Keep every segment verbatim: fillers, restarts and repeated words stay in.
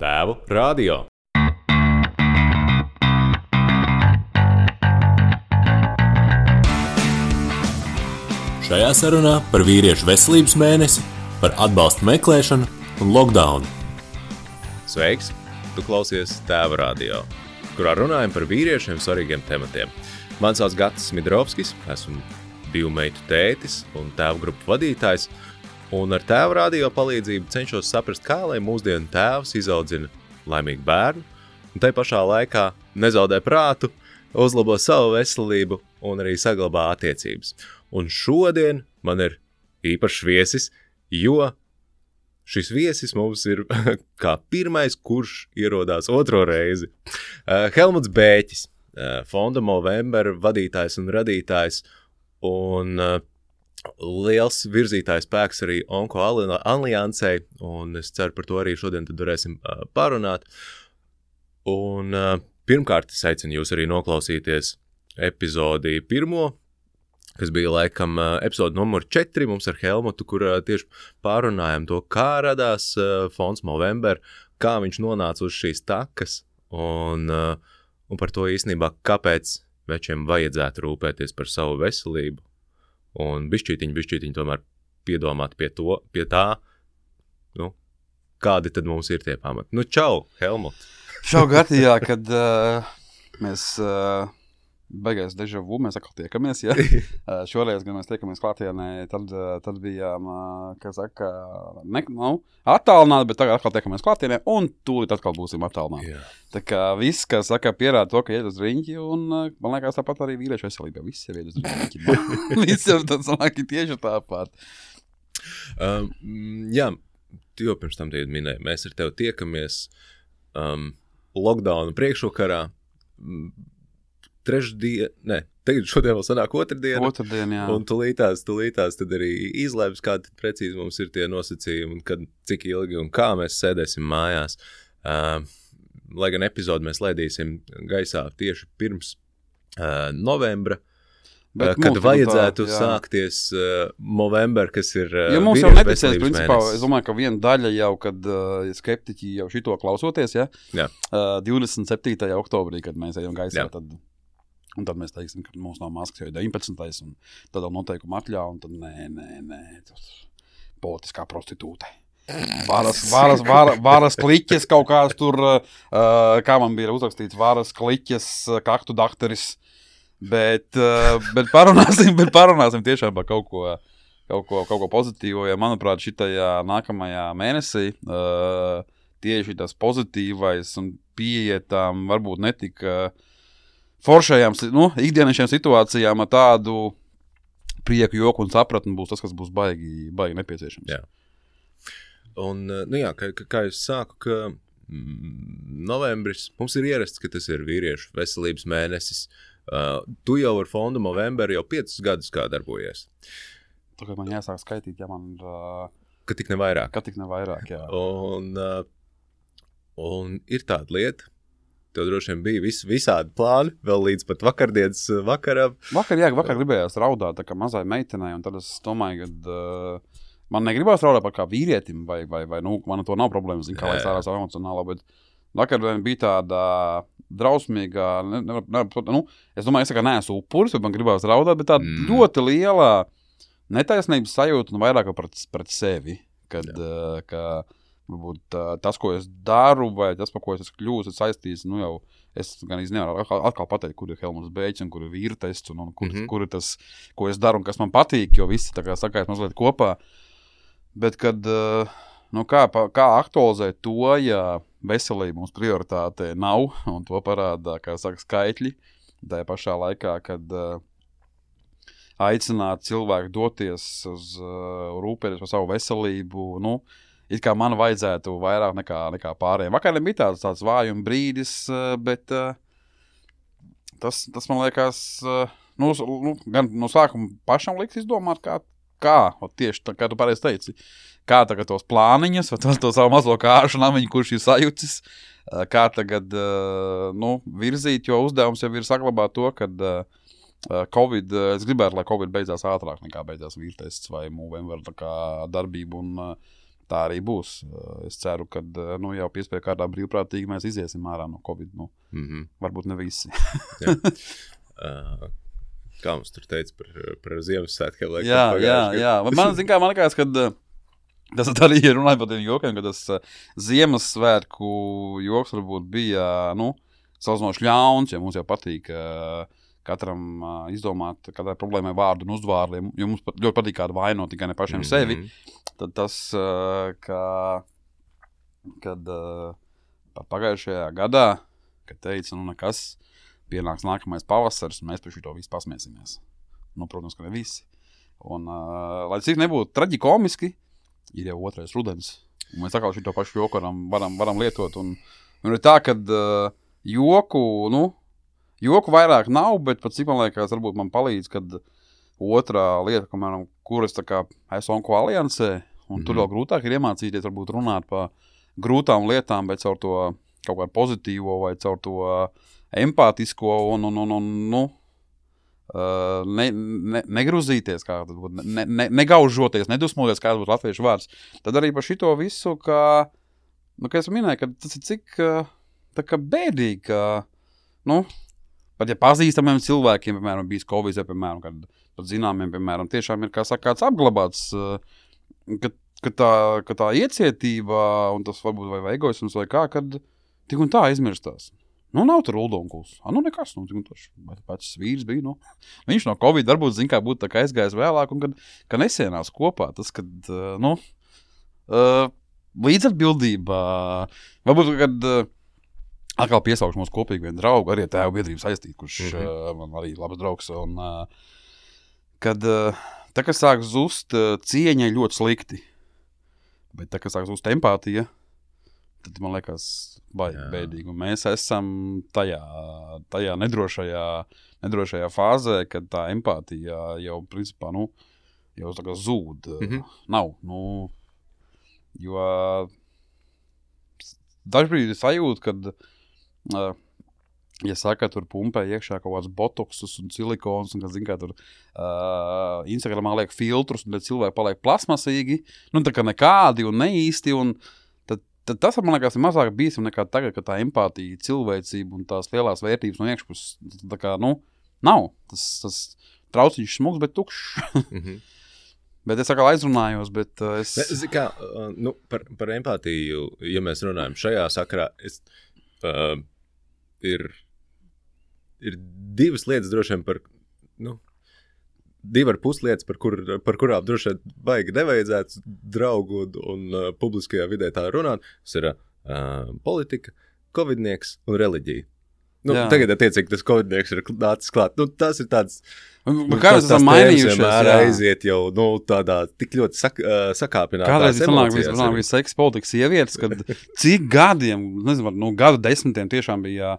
Tēvu radio. Šajā sarunā par vīriešu veselības mēnesi, par atbalstu meklēšanu un lockdownu. Sveiks! Tu klausies Tēvu radio, kurā runājam par vīriešiem svarīgiem tematiem. Man sauc Gatis Midrovskis, esmu divu meitu tētis un tēvu grupu vadītājs, un ar Tēvu radio palīdzību cenšos saprast, kā lai mūsdienu tēvs izaudzina laimīgu bērnu, un tai pašā laikā nezaudē prātu, uzlabo savu veselību un arī saglabā attiecības. Un šodien man ir īpašs viesis, jo šis viesis mums ir kā pirmais, kurš ierodās otro reizi. Uh, Helmuts Bēķis, uh, Fonda Movember vadītājs un radītājs, un uh, liels virzītājs spēks arī Onko aliansei, un es ceru par to arī šodien tad varēsim uh, parunāt. Un uh, pirmkārt es aicinu jūs arī noklausīties epizodi pirmo, kas bija laikam uh, epizode numur četri mums ar Helmutu, kur uh, tieši pārunājam to, kā radās uh, Fonds Movember, kā viņš nonāca uz šīs takas, un, uh, un par to īstenībā, kāpēc večiem vajadzētu rūpēties par savu veselību. Un bišķītiņi, bišķītiņi tomēr piedomāt pie, to, pie tā, nu, kādi tad mums ir tie pamati. Nu, čau, Helmut! Čau, Gati, jā, kad uh, mēs uh, beigās deja vu, mēs atkal tiekamies, jā. uh, šoreiz, kad mēs tiekamies klātienē, tad, uh, tad bijām, uh, kā saka, ne, nu, attālināti, bet tagad atkal tiekamies klātienē, un tūlīt atkal būsim attālināti. Yeah. Tā kā viss, kā saka, pierāda to, ka iet uz riņķi, un man liekas tāpat arī vīriešu veselībā. Viss jau iet uz riņķi. Viss jau tāds laki tieši tāpat. Um, jā, tu jau pirms tam tie minēji. Mēs ar tevi tiekamies um, lockdownu priekšvakarā. Trešdien, ne, tagad šodien vēl sanāk otrdiena. Otrdien, jā. Un tulītās, tulītās tad arī izlēms, kādi precīzi mums ir tie nosacījumi, un kad, cik ilgi un kā mēs sēdēsim mājās. Um, Lai gan epizodi mēs laidīsim gaisā tieši pirms uh, novembra, uh, kad vajadzētu tā, sākties uh, Movember, kas ir uh, ja mums jau neticēs, principā, es domāju, ka viena daļa jau, kad uh, skeptiķi jau šito klausoties, ja, jā. Uh, divdesmit septītajā oktobrī, kad mēs ejam gaisā, tad, un tad mēs teiksim, ka mums nav maskas jau deviņpadsmitais un tad vēl noteikuma atļauj, un tad nē, nē, nē, tas politiskā prostitūte. Varas, varas, varas, varas kliķes kaut kāds tur, uh, kā man bija uzrakstīts, varas kliķes, kaktu dakteris, bet, uh, bet, parunāsim, bet parunāsim tiešām par kaut ko, kaut ko, kaut ko pozitīvo, ja manuprāt šitajā nākamajā mēnesī uh, tieši tas pozitīvais un pieietām varbūt netika foršajām, nu, ikdienišajām situācijām ar tādu prieku, joku un sapratni būs tas, kas būs baigi, baigi nepieciešams. Jā. Un, nu jā, kā, kā es sāku, ka mm, novembris, mums ir ierasts, ka tas ir vīriešu veselības mēnesis. Uh, tu jau ar Fondu Movember jau piecus gadus kā darbojies. Tagad man jāsāk skaitīt, ja man ir... Uh, ka tik ne vairāk. Ka tik ne vairāk, jā. Un, uh, un ir tāda lieta, tev droši vien bija vis, visādi plāni, vēl līdz pat vakardienas vakaram. Vakar, jā, vakar gribējās raudāt tā kā mazai meitenei, un tad es domāju, ka... Uh, Man negribās raudāt par kā vīrietim, vai, vai, vai nu, man to nav problēmas, zinu, kā lai sārās emocionālā, bet vakardien bija tāda drausmīga, ne, ne, ne, nu, es domāju, es kā neesmu upuris, bet man gribās raudāt, bet tāda mm. ļoti liela netaisnības sajūta un vairāk pret, pret sevi, kad, uh, ka, varbūt, uh, tas, ko es daru, vai tas, par ko es esmu kļūst, es saistīs, nu jau, es gan nevaru atkal, atkal pateikt, kur ir Helmuts Bēķis un kur ir vīra tests, un, un kur, mm-hmm. kur ir tas, ko es daru un kas man patīk, jo visi tā kā sakās mazliet kopā. Bet, kad, nu, kā, kā aktualizēt to, ja veselība mums prioritāte nav, un to parādā, kā saka, skaitļi, tajā pašā laikā, kad uh, aicināt cilvēku doties uz uh, rūpēties par savu veselību, nu, it kā man vajadzētu vairāk nekā, nekā pārējiem. Vakariem bija tāds, tāds vājuma brīdis, uh, bet uh, tas, tas man liekas, uh, nu, nu, gan no sākuma pašam liks izdomāt, kā Kā, o tieši tā, kā tu pareizi teici, kā tagad tos plāniņus, vai tos, to savu mazo kāršu namiņu, kurš ir sajucis, kā tagad, nu, virzīt, jo uzdevums jau ir saglabāt to, kad Covid, es gribētu, lai Covid beidzās ātrāk nekā beidzās vīrtests vai Movember tā kā darbība un tā arī būs. Es ceru, ka nu, jau piespēja kārtā brīvprātīgi mēs iziesim ārā no Covid. Nu, mm-hmm. Varbūt ne visi. uh, kā mums tur teica par, par Ziemassvētkiem? Jā, jā, jā. Man, zin kā, man likās, ka tas arī ir runājot par tiem jokiem, ka tas Ziemassvētku joks varbūt bija, nu, salīdzinoši ļauns, ja mums jau patīk uh, katram uh, izdomāt, katrai problēmai vārdu un uzvārdiem, jo mums pat, ļoti patīk kādu vainot tikai ne pašiem mm-hmm. sevi, tad tas, uh, ka, kad uh, pagājušajā gadā, kad teica, nu nekas, pienāks nākamais pavasars, un mēs par šito visu pasmiesimies. Nu, protams, ka ne visi. Un, uh, lai cik nebūtu traģikomiski, ir jau otrais rudens, un mēs atkal šito pašu joku varam, varam, varam lietot, un, un ir tā, kad uh, joku, nu, joku vairāk nav, bet pat cik man liekas, varbūt man palīdz, kad otrā lieta, kamēram, kur es tā kā esmu onko aliansē, un mm-hmm. tur vēl grūtāk ir iemācīties, varbūt runāt par grūtām lietām, bet caur to kaut kādu pozitīvo vai caur to empātisko un, un, un, un nu, ne, ne, negruzīties, kā tas būtu, ne, ne, negaužoties, nedusmoties, kā tas būtu latviešu vārds. Tad arī par šito visu, ka, nu, kā es minēju, ka tas ir cik tā kā bēdīgi, ka, nu, pat ja pazīstamiem cilvēkiem, piemēram, bijis Covid, ja, piemēram, kad pat zināmiem, piemēram, tiešām ir, kā saka, kāds apglabāts, ka, ka, tā, ka tā iecietība un tas varbūt vai, vai egoisms vai kā, kad tik un tā aizmirstās. Nu, nav tur uldonkuls. A, nu, nekas, nu, tik un toši. Pats vīrs bija, nu. Viņš no Covid varbūt, zin kā, būtu tā kā aizgājis vēlāk un kad, ka nesienās kopā. Tas, kad, nu, līdzatbildība, varbūt, kad atkal piesaukšu mūsu kopīgi vienu draugu, arī tēvu biedrības aizstīt, kurš mm-hmm. uh, man arī labs draugs. Un, uh, kad uh, tā, kas sāk zust uh, cieņa ļoti slikti, bet tā, kas sāk zust empātija, tad man liekas baigi bēdīgi. Un mēs esam tajā, tajā nedrošajā, nedrošajā fāzē, kad tā empātija jau, principā, nu, jau tā kā zūd. Mm-hmm. Nav, nu, jo dažbrīd sajūt, kad Uh, ja saka, tur pumpē iekšā kaut kāds botoksus un silikons, un, kad, zin kā, tur uh, Instagramā liek filtrus, un tad cilvēki paliek plasmasīgi, nu, tā kā nekādi un neīsti, un tad, tad tas, man liekas, ir mazāk bīstam nekā tagad, ka tā empātija, cilvēcība un tās lielās vērtības no iekšpuses, tā kā, nu, nav. Tas, tas trauciņš smugs, bet tukšs. Mm-hmm. Bet es atkal aizrunājos, bet uh, es... Ne, kā, uh, nu, par, par empātiju, ja mēs runājam šajā sakarā, es... Uh, Ir, ir divas lietas droši vien par, nu, divi ar pus lietas, par, kur, par kurām droši vien baigi nevajadzētu draugu un, un uh, publiskajā vidē tā runāt. Tas ir uh, politika, covidnieks un reliģija. Nu, jā. Tagad, attiecīgi, tas covidnieks ir nācis klāt. Nu, tas ir tāds, nu, kā tas esam mainījušies, jā. Aiziet jau, nu, tādā tik ļoti sak, uh, sakāpinātās emocijas. Kādreiz vispār bija seksa politikas sievietes, kad cik gadiem, nezinu, nu, gadu desmitiem tiešām bija,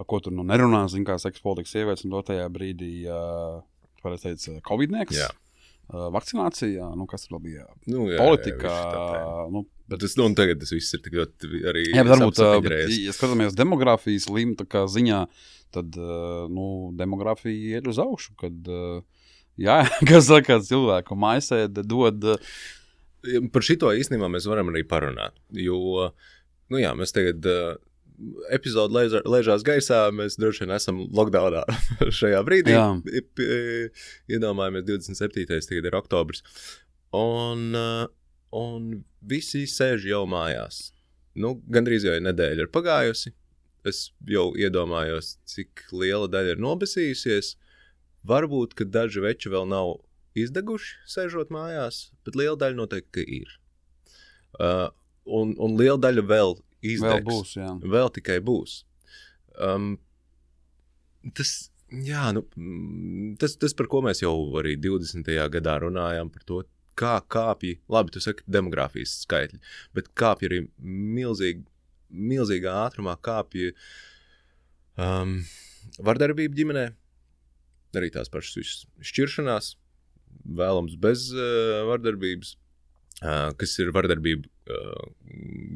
par ko tur, nu, nerunā, zin kā seksa politikas sievietes, un to tajā brīdī, uh, varētu teikt, covidnieks, uh, vakcinācija, nu, kas tur bija, nu, jā, politika, jā, nu, bet tas, nu, un tagad tas viss ir tik ļoti arī... Jā, bet varbūt, uh, ja skatāmies demografijas lim, tā kā ziņā, tad, uh, nu, demografija iet uz augšu, kad, uh, jā, kas saka, cilvēku maisēde dod... Uh, Par šito īstenībā mēs varam arī parunāt, jo, nu jā, mēs tagad uh, epizodu ležā, ležās gaisā, mēs droši vien esam lockdownā šajā brīdī, iedomājamies divdesmit septītais tagad ir oktobrs, un... Uh, Un visi sēž jau mājās. Nu, gandrīz jau nedēļa ir pagājusi. Es jau iedomājos, cik liela daļa ir nobesījusies. Varbūt, ka daži veči vēl nav izdeguši, sēžot mājās, bet liela daļa noteikti ir. Uh, un, un liela daļa vēl izdegs. Vēl būs, jā. Vēl tikai būs. Um, tas, jā, nu, tas, tas, par ko mēs jau arī divdesmitajā gadā runājām, par to, kā kāpji, labi, tu saki demogrāfijas skaitļi, bet kāpji arī milzīgi, milzīgā ātrumā kāpji um, vardarbība ģimenē, arī tās pašas šķiršanās, vēlams bez uh, vardarbības, uh, kas ir vardarbība uh,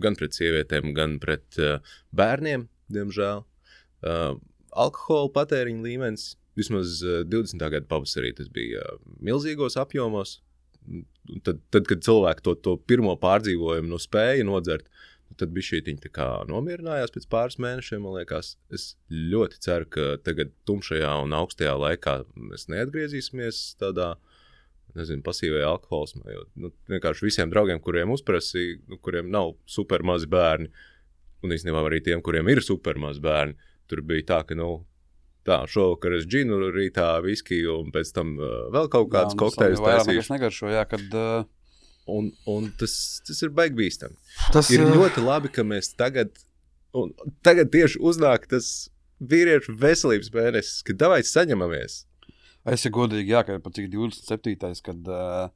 gan pret sievietēm, gan pret uh, bērniem, diemžēl. Uh, alkohola patēriņa līmenis, vismaz uh, divdesmitā gada pavasarī tas bija uh, milzīgos apjomos, tad, tad kad cilvēki to, to pirmo pārdzīvojumu nu spēja nodzert, tad bišķītiņi tā kā nomierinājās pēc pāris mēnešiem, man liekas. Es ļoti ceru, ka tagad tumšajā un augstajā laikā mēs neatgriezīsimies tādā, nezinu, pasīvajā alkoholismā, jo nu, vienkārši visiem draugiem, kuriem uzprasīja, nu, kuriem nav super mazi bērni, un īstenībā arī tiem, kuriem ir super mazi bērni, tur bija tā, ka, nu, tā, šovakar es džinu, rītā viskiju, un pēc tam uh, vēl kaut kāds kokteļus taisīšu. Jā, negaršo, jā, kad... Uh... Un, un tas, tas ir baigi bīstami. Tas ir ļoti labi, ka mēs tagad, un tagad tieši uznāk tas vīriešu veselības mēnesis, kad davai saņemamies. Es ir godīgi, jā, ka pat cik divdesmit septītais, kad, uh,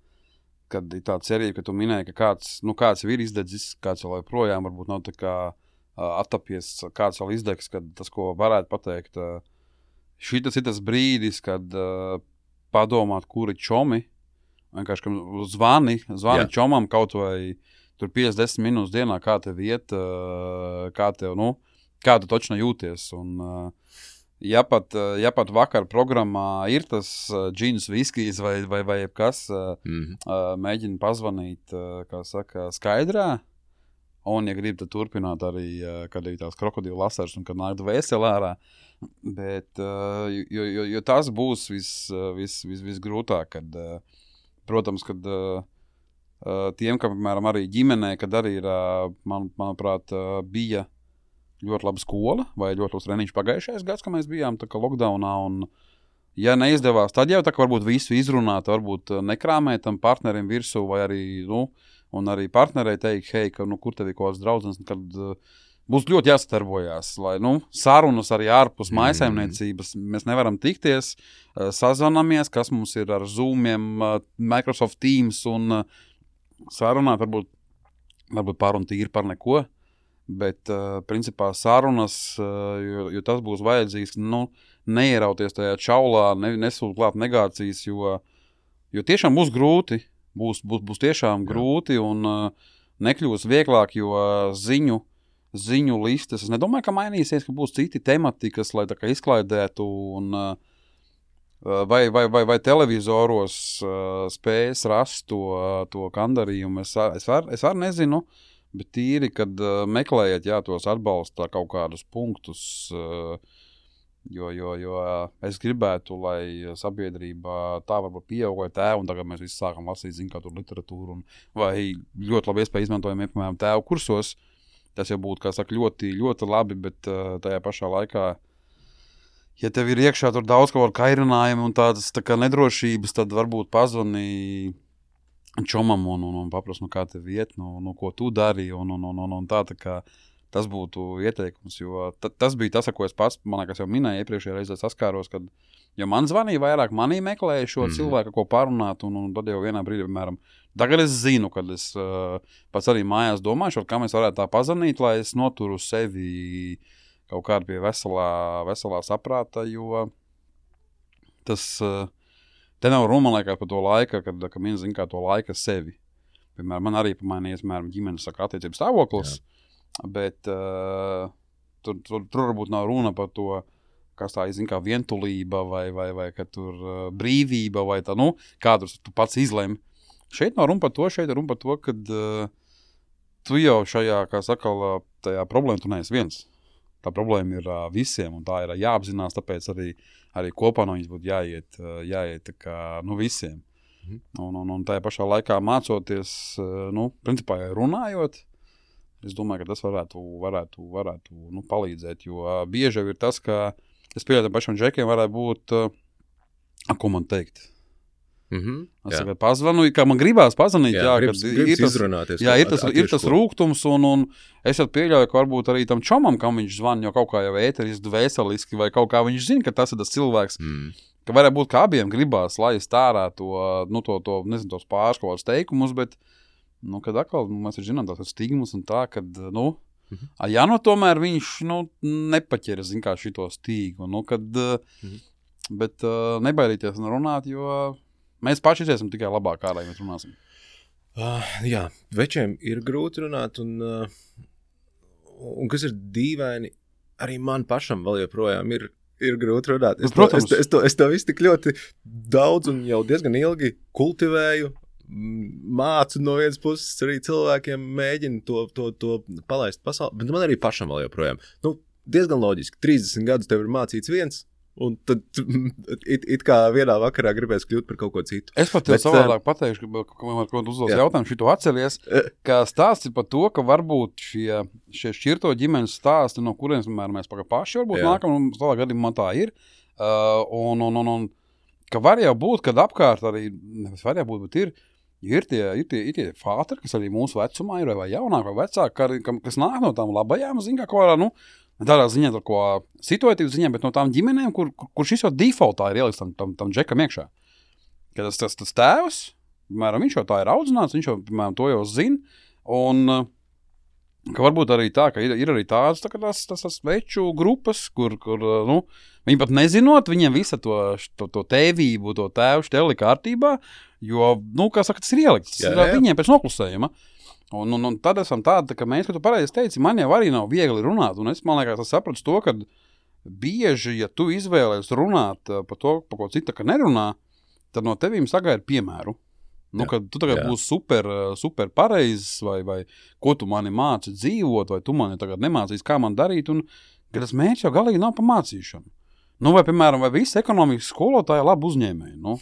kad ir tā cerība, ka tu minēji, ka kāds, nu, kāds ir izdedzis, kāds vēl projām varbūt nav tā kā uh, attapies, kāds vēl izdegs, kad tas, ko varētu pateikt, uh, šitas ir tas brīdis, kad uh, padomāt, kuri čomi, vienkārši, ka zvani, zvani Jā. Čomam kaut vai tur piecdesmit minūtes dienā, kā tev iet, uh, kā tev, nu, kā tu točno jūties. Un, uh, ja, pat, uh, ja pat vakar programmā ir tas uh, džins, viskijs vai, vai, vai kas, uh, mm-hmm. uh, mēģina pazvanīt, uh, kā saka, skaidrā, un, ja grib, tad turpināt arī, uh, kad ir tās krokodila asaras un kad nāk dvēseli ārā. Bet, uh, jo, jo, jo tas būs vis, vis, vis, visgrūtāk, kad, uh, protams, kad uh, uh, tiem, ka, piemēram, arī ģimenē, kad arī ir, uh, man, manuprāt, uh, bija ļoti laba skola vai ļoti labs treniņš pagājušais gads, ka mēs bijām tā kā lockdownā, un ja neizdevās, tad jau tā kā varbūt visu izrunāt, varbūt nekrāmēt tam partnerim virsū, vai arī, nu, un arī partnerei teikt, hei, ka, nu, kur tev ir kaut kāds draudzens, kad uh, būs ļoti jāsadarbojās, lai, nu, sarunas arī ārpus mm. mājsaimniecības, mēs nevaram tikties, uh, sazvanamies, kas mums ir ar Zoomiem, uh, Microsoft Teams un uh, sarunāt, varbūt, varbūt par un tīri par neko, bet, uh, principā, sarunas, uh, jo, jo tas būs vajadzīgs, nu, neierauties tajā čaulā, ne, nesūt klāt negācijas, jo, jo tiešām būs grūti, būs, būs, būs tiešām Jā. grūti un uh, nekļūs vieglāk, jo uh, ziņu ziņu listes. Es nedomāju, ka mainīsies, ka būs citi tematikas, lai tā kā izklaidētu un vai, vai, vai, vai televizoros uh, spējas rast to, to kandarījumu. Es, es, var, es var nezinu, bet tīri, kad uh, meklējat, jā, tos atbalsta kaut kādus punktus, uh, jo, jo, jo es gribētu, lai sabiedrība tā varbūt pieaugoja tēvu, un tagad mēs visi sākam lasīt, zin, kā tur literatūru, un, vai ļoti labi iespēja izmantojam, piemēram, tēvu kursos. Tas jau būtu, kā saka, ļoti, ļoti labi, bet uh, tajā pašā laikā, ja tev ir iekšā tur daudz kaut kādu kairinājumu un tādas tā kā nedrošības, tad varbūt pazvani čomam un, un, un paprast, nu kā tev iet, nu, nu ko tu dari, un, un, un, un, un tā, tā kā tas būtu ieteikums, jo t- tas bija tas, ko es pats, man liekas, jau minēju iepriekšējā reizē saskāros, kad, jo man zvanīja vairāk, manī meklēja šo mm. cilvēku, ko parunāt, un, un tad jau vienā brīdī, piemēram, tagad es zinu, kad es uh, pats arī mājās domāju, kā mēs varētu tā pazvanīt, lai es noturu sevi kaut kādu pie veselā, veselā saprāta, jo tas, uh, te nav runa, man liekas, par to laika, kad, kad viņi zina, kā to laika sevi. Piemēram, man arī pamainījies, piemēram, ģimenes saka attiecības stāvoklis, Jā. bet uh, tur, tur, tur varbūt nav runa par to, kas tā ir, zin, kā vientulība vai, vai, vai ka tur uh, brīvība vai tā, nu, kādus tu pats izlemi. Šeit nav runa par to, šeit ir runa par to, kad uh, tu jau šajā, kā saka, tajā problēma tu neesi viens. Tā problēma ir uh, visiem, un tā ir uh, jāapzinās, tāpēc arī, arī kopā no viņas būtu jāiet, uh, jāiet tā kā, nu, visiem. Mhm. Un, un, un tajā pašā laikā mācoties, uh, nu, principā runājot, es domāju, ka tas varētu, varētu, varētu nu, palīdzēt, jo uh, bieži ir tas, ka es pieļauju pašiem džekiem varētu būt, uh, ko man teikt, Mm-hmm, es tikai pazvanu, kā man gribās pazvanīt, jā, jā, gribas, kad gribas ir tas, izrunāties, jā, ir tas, ir tas rūgtums, un, un es jau pieļauju, ka varbūt arī tam čomam, kam viņš zvana, jo kaut kā jau ēteriski, dvēseliski, vai kaut kā viņš zina, ka tas ir tas cilvēks, mm. ka varētu būt, ka abiem gribās laist ārā to, nu, to, to nezinu, tos pāris kaut kādus teikumus, bet, nu, kad atkal, nu, mēs ir zinām tās stigmas un tā, kad, nu, mm-hmm. a, ja nu tomēr viņš, nu, nepaķera, zin kā šito stīgu, nu, kad, mm-hmm. bet uh, nebaidīties un runāt, jo mēs paši esam tikai labāk ārā, ja mēs runāsim. Uh, jā, večiem ir grūti runāt, un, uh, un kas ir dīvaini, arī man pašam vēl joprojām ir, ir grūti runāt. Es, nu, to, es, es, to, es to visu tik ļoti daudz un jau diezgan ilgi kultivēju, mācu no vienas puses arī cilvēkiem mēģinu to, to, to palaist pasauli, bet man arī pašam vēl joprojām. Nu, diezgan loģiski, trīsdesmit gadus tev ir mācīts viens, un tad it, it kā vienā vakarā gribēs kļūt par kaut ko citu. Es pat tev savādāk pateikšu, ka man kaut uzdos jautājumu šito atceries, ka stāsti par to, ka varbūt šie, šie šķirto ģimenes stāsti, no kurienes mēs paši varbūt jā. Nākam, un savā gadījumā man tā ir, uh, un, un, un, un ka var jau būt, kad apkārt arī, nevis var jau būt, bet ir, ir tie, ir tie, ir tie fātri, kas arī mūsu vecumā ir, vai jaunāk, vai vecāk, kas nāk no tām labajām, zin kā kaut kādā, nu, tādā ziņā, tā ko situatīvas ziņā, bet no tām ģimenēm, kur, kur šis jau defaultā ir ieliks tam, tam, tam džekam iekšā. Kad tas, tas, tas tēvs, piemēram, viņš jau tā ir audzināts, viņš jau, piemēram, to jau zina, un ka varbūt arī tā, ka ir, ir arī tādas tā, tās, tās, tās veču grupas, kur, kur, nu, viņi pat nezinot, viņiem visa to, to, to tēvību, to tēvu šteli kārtībā, jo, nu, kā saka, tas ir ielikts, tas ir viņiem pēc noklusējuma. Un, un, un tad esam tādi, ka mēs, ka tu pareizi teici, man jau arī nav viegli runāt, un es, man liekas, es sapratu to, ka bieži, ja tu izvēlies runāt par to, par ko cita, ka nerunā, tad no tevīm sagaida piemēru. Nu, jā, kad tu tagad jā. Būsi super, super pareizs, vai, vai ko tu mani māci dzīvot, vai tu mani tagad nemācīs, kā man darīt, un ka tas mērķis jau galīgi nav pa mācīšanu. Nu, vai, piemēram, vai visi ekonomikas skolotāji labi uzņēmēji, nu?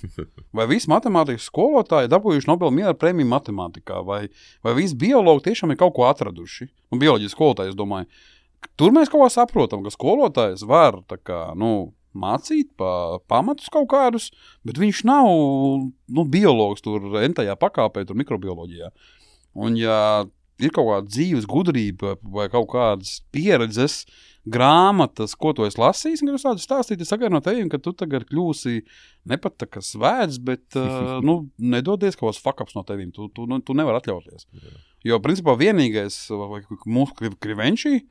Vai visi matemātikas skolotāji dabūjuši Nobela miera prēmiju matemātikā, vai, vai visi biologi tiešām ir kaut ko atraduši? Nu, bioloģijas skolotāji, es domāju, tur mēs kaut kā saprotam, ka skolotājs var, tā kā, nu, mācīt pa pamatus kaut kādus, bet viņš nav, nu, biologs tur entajā pakāpē, tur mikrobioloģijā. Un, ja ir kaut kāda dzīves gudrība vai kaut kādas pieredzes, grāmatas, ko tu esi lasījis, un kad es tādu stāstīju, es sagaidu no teviem, ka tu tagad kļūsi ne pat tā kā svēts, bet, uh, nu, nedodies kaut kāds fuck-ups no teviem. Tu, tu, nu, tu nevar atļauties. Jā. Jo, principā, vienīgais, vai mūsu krivenčī,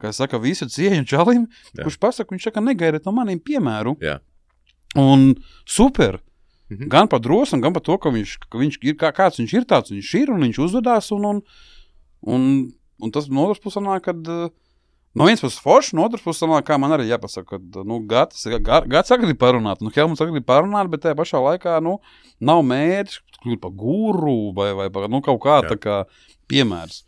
kā es saka, visu cieņu čalim, jā. Kurš pasaka, viņš saka, negaidiet no maniem piemēru. Jā. Un super. Mhm. Gan par drosmu, gan par to, ka viņš, ka viņš ir, kā, kāds viņš ir tāds, viņš ir, un viņš uzvedās, un, un, un, un tas no otras puses nāk, kad no viens puses forši, no otras puses sanāk, kā man arī jāpasaka, ka, nu, gads, gads grib parunāt, nu, Helmuts grib parunāt, bet tajā pašā laikā, nu, nav mērķis kļūt par guru vai, vai par, nu, kaut kā, jā. Tā kā piemērs.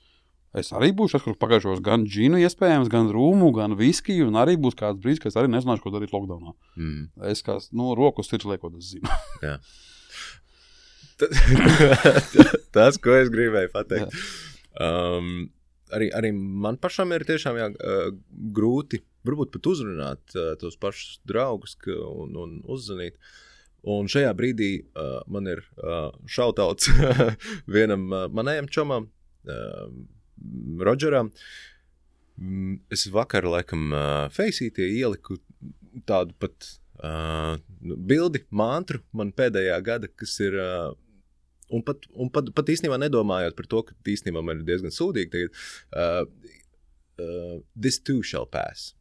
Es arī būšu, es pagājušos gan džinu iespējams, gan rūmu, gan viskiju, un arī būs kāds brīdis, ka es arī nezināšu, ko darīt lockdownā. Mm. Es kā, nu, rokas sirds liekot, es zinu. Jā. Tas, ko es gribēju pateikt. Um, Arī, arī man pašam ir tiešām jā, grūti, varbūt pat uzrunāt tos pašus draugus un, un uzzvanīt. Un šajā brīdī uh, man ir uh, šautauts vienam uh, manējam čomam, uh, Rodžeram. Mm, es vakar, laikam, uh, Faceītie ieliku tādu pat uh, bildi, mantru man pēdējā gada, kas ir... Uh, Un pat, un pat, pat īstenībā nedomājot par to, ka īstenībā man ir diezgan sūdīgi tagad, uh, uh, this too shall pass.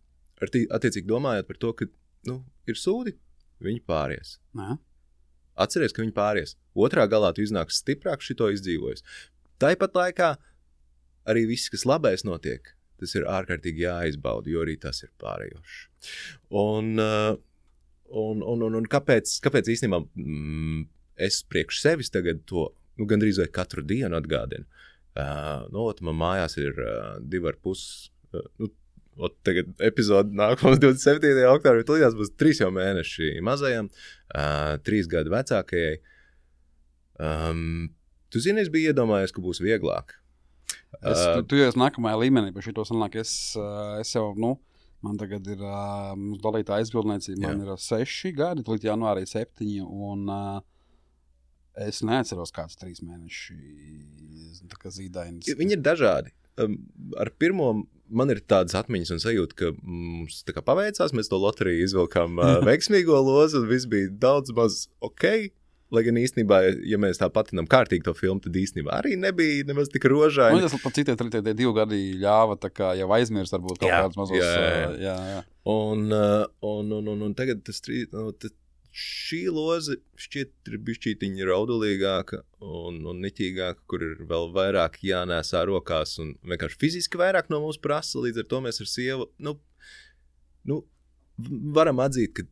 Ar tī, attiecīgi domājot par to, ka, nu, ir sūdi, viņi pāries. Nā. Atceries, ka viņi pāries. Otrā galā tu iznāks stiprāk šito izdzīvojis. Tāpat laikā arī viss, kas labais notiek, tas ir ārkārtīgi jāizbauda, jo arī tas ir pārējošs. Un, uh, un, un, un, un kāpēc, kāpēc īstenībā... Mm, es priekš sevis tagad to, nu, gandrīz vai katru dienu atgādinu. Uh, nu, ot, man mājās ir uh, divi ar pus, uh, nu, ot, tagad epizode nākamās divdesmit septītajā oktobrī, tulījās būs trīs jau mēneši mazajam, uh, trīs gadi vecākajai. Um, tu zini, es biju iedomājies, ka būs vieglāk. Es, uh, tu, tu jau esi nākamajā līmenī, par šito sanāk, es, uh, es jau, nu, man tagad ir, uh, mums dalītā aizbildniecība, man ir seši gadi, līdz janvārī septiņi, un... Uh, Es neatceros kāds trīs mēneši tā kā zīdainis. Viņi ir dažādi. Um, ar pirmo man ir tādas atmiņas un sajūta, ka mums tā kā paveicās, mēs to loteriju izvilkām uh, veiksmīgo lozu, un viss bija daudz maz ok, lai gan īstenībā, ja mēs tā patinām kārtīgi to filmu, tad īstenībā arī nebija nemaz tik rožaini. Nu, tas pat citie tie divi gadi ļāva tā kā jau aizmirst varbūt kaut jā, kāds mazos. Jā, jā. Uh, jā, jā. Un, uh, un, un, un, un tagad tas trīs... Nu, tas, šī loze šķiet ir bišķītiņa raudulīgāka un, un niķīgāka, kur ir vēl vairāk jānēsā rokās un vienkārši fiziski vairāk no mums prasa, līdz ar to mēs ar sievu, nu, nu varam atzīt, ka,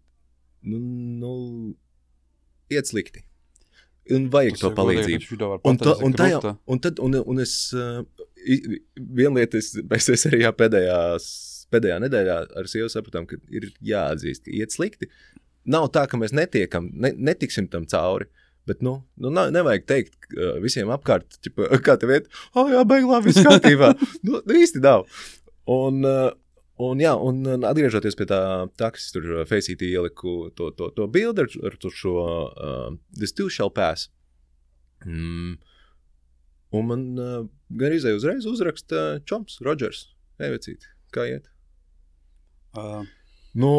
nu, nu iet slikti. un vajag to palīdzību. Un, to, un, tajā, un, tad, un, un es, uh, viena lieta, es, mēs, es arī jā, pēdējās, pēdējā nedēļā ar sievu sapratām, ka ir jāatzīst, ka iet slikti. Nav tā, ka mēs netiekam, ne, netiksim tam cauri, bet, nu, nu nevajag teikt uh, visiem apkārt, ķipa, kā tev iet, oh, jā, beig labi, viss kārtībā. nu, nu, īsti nav. Un, uh, un, jā, un atgriežoties pie tā taksis, tur Faceit ieliku to, to, to bildi ar, ar šo uh, This too shall pass. Mm. Un man uh, gan izēja uzreiz uzraksta čoms, Rodžers, Evecīt, kā iet? Uh. Nu,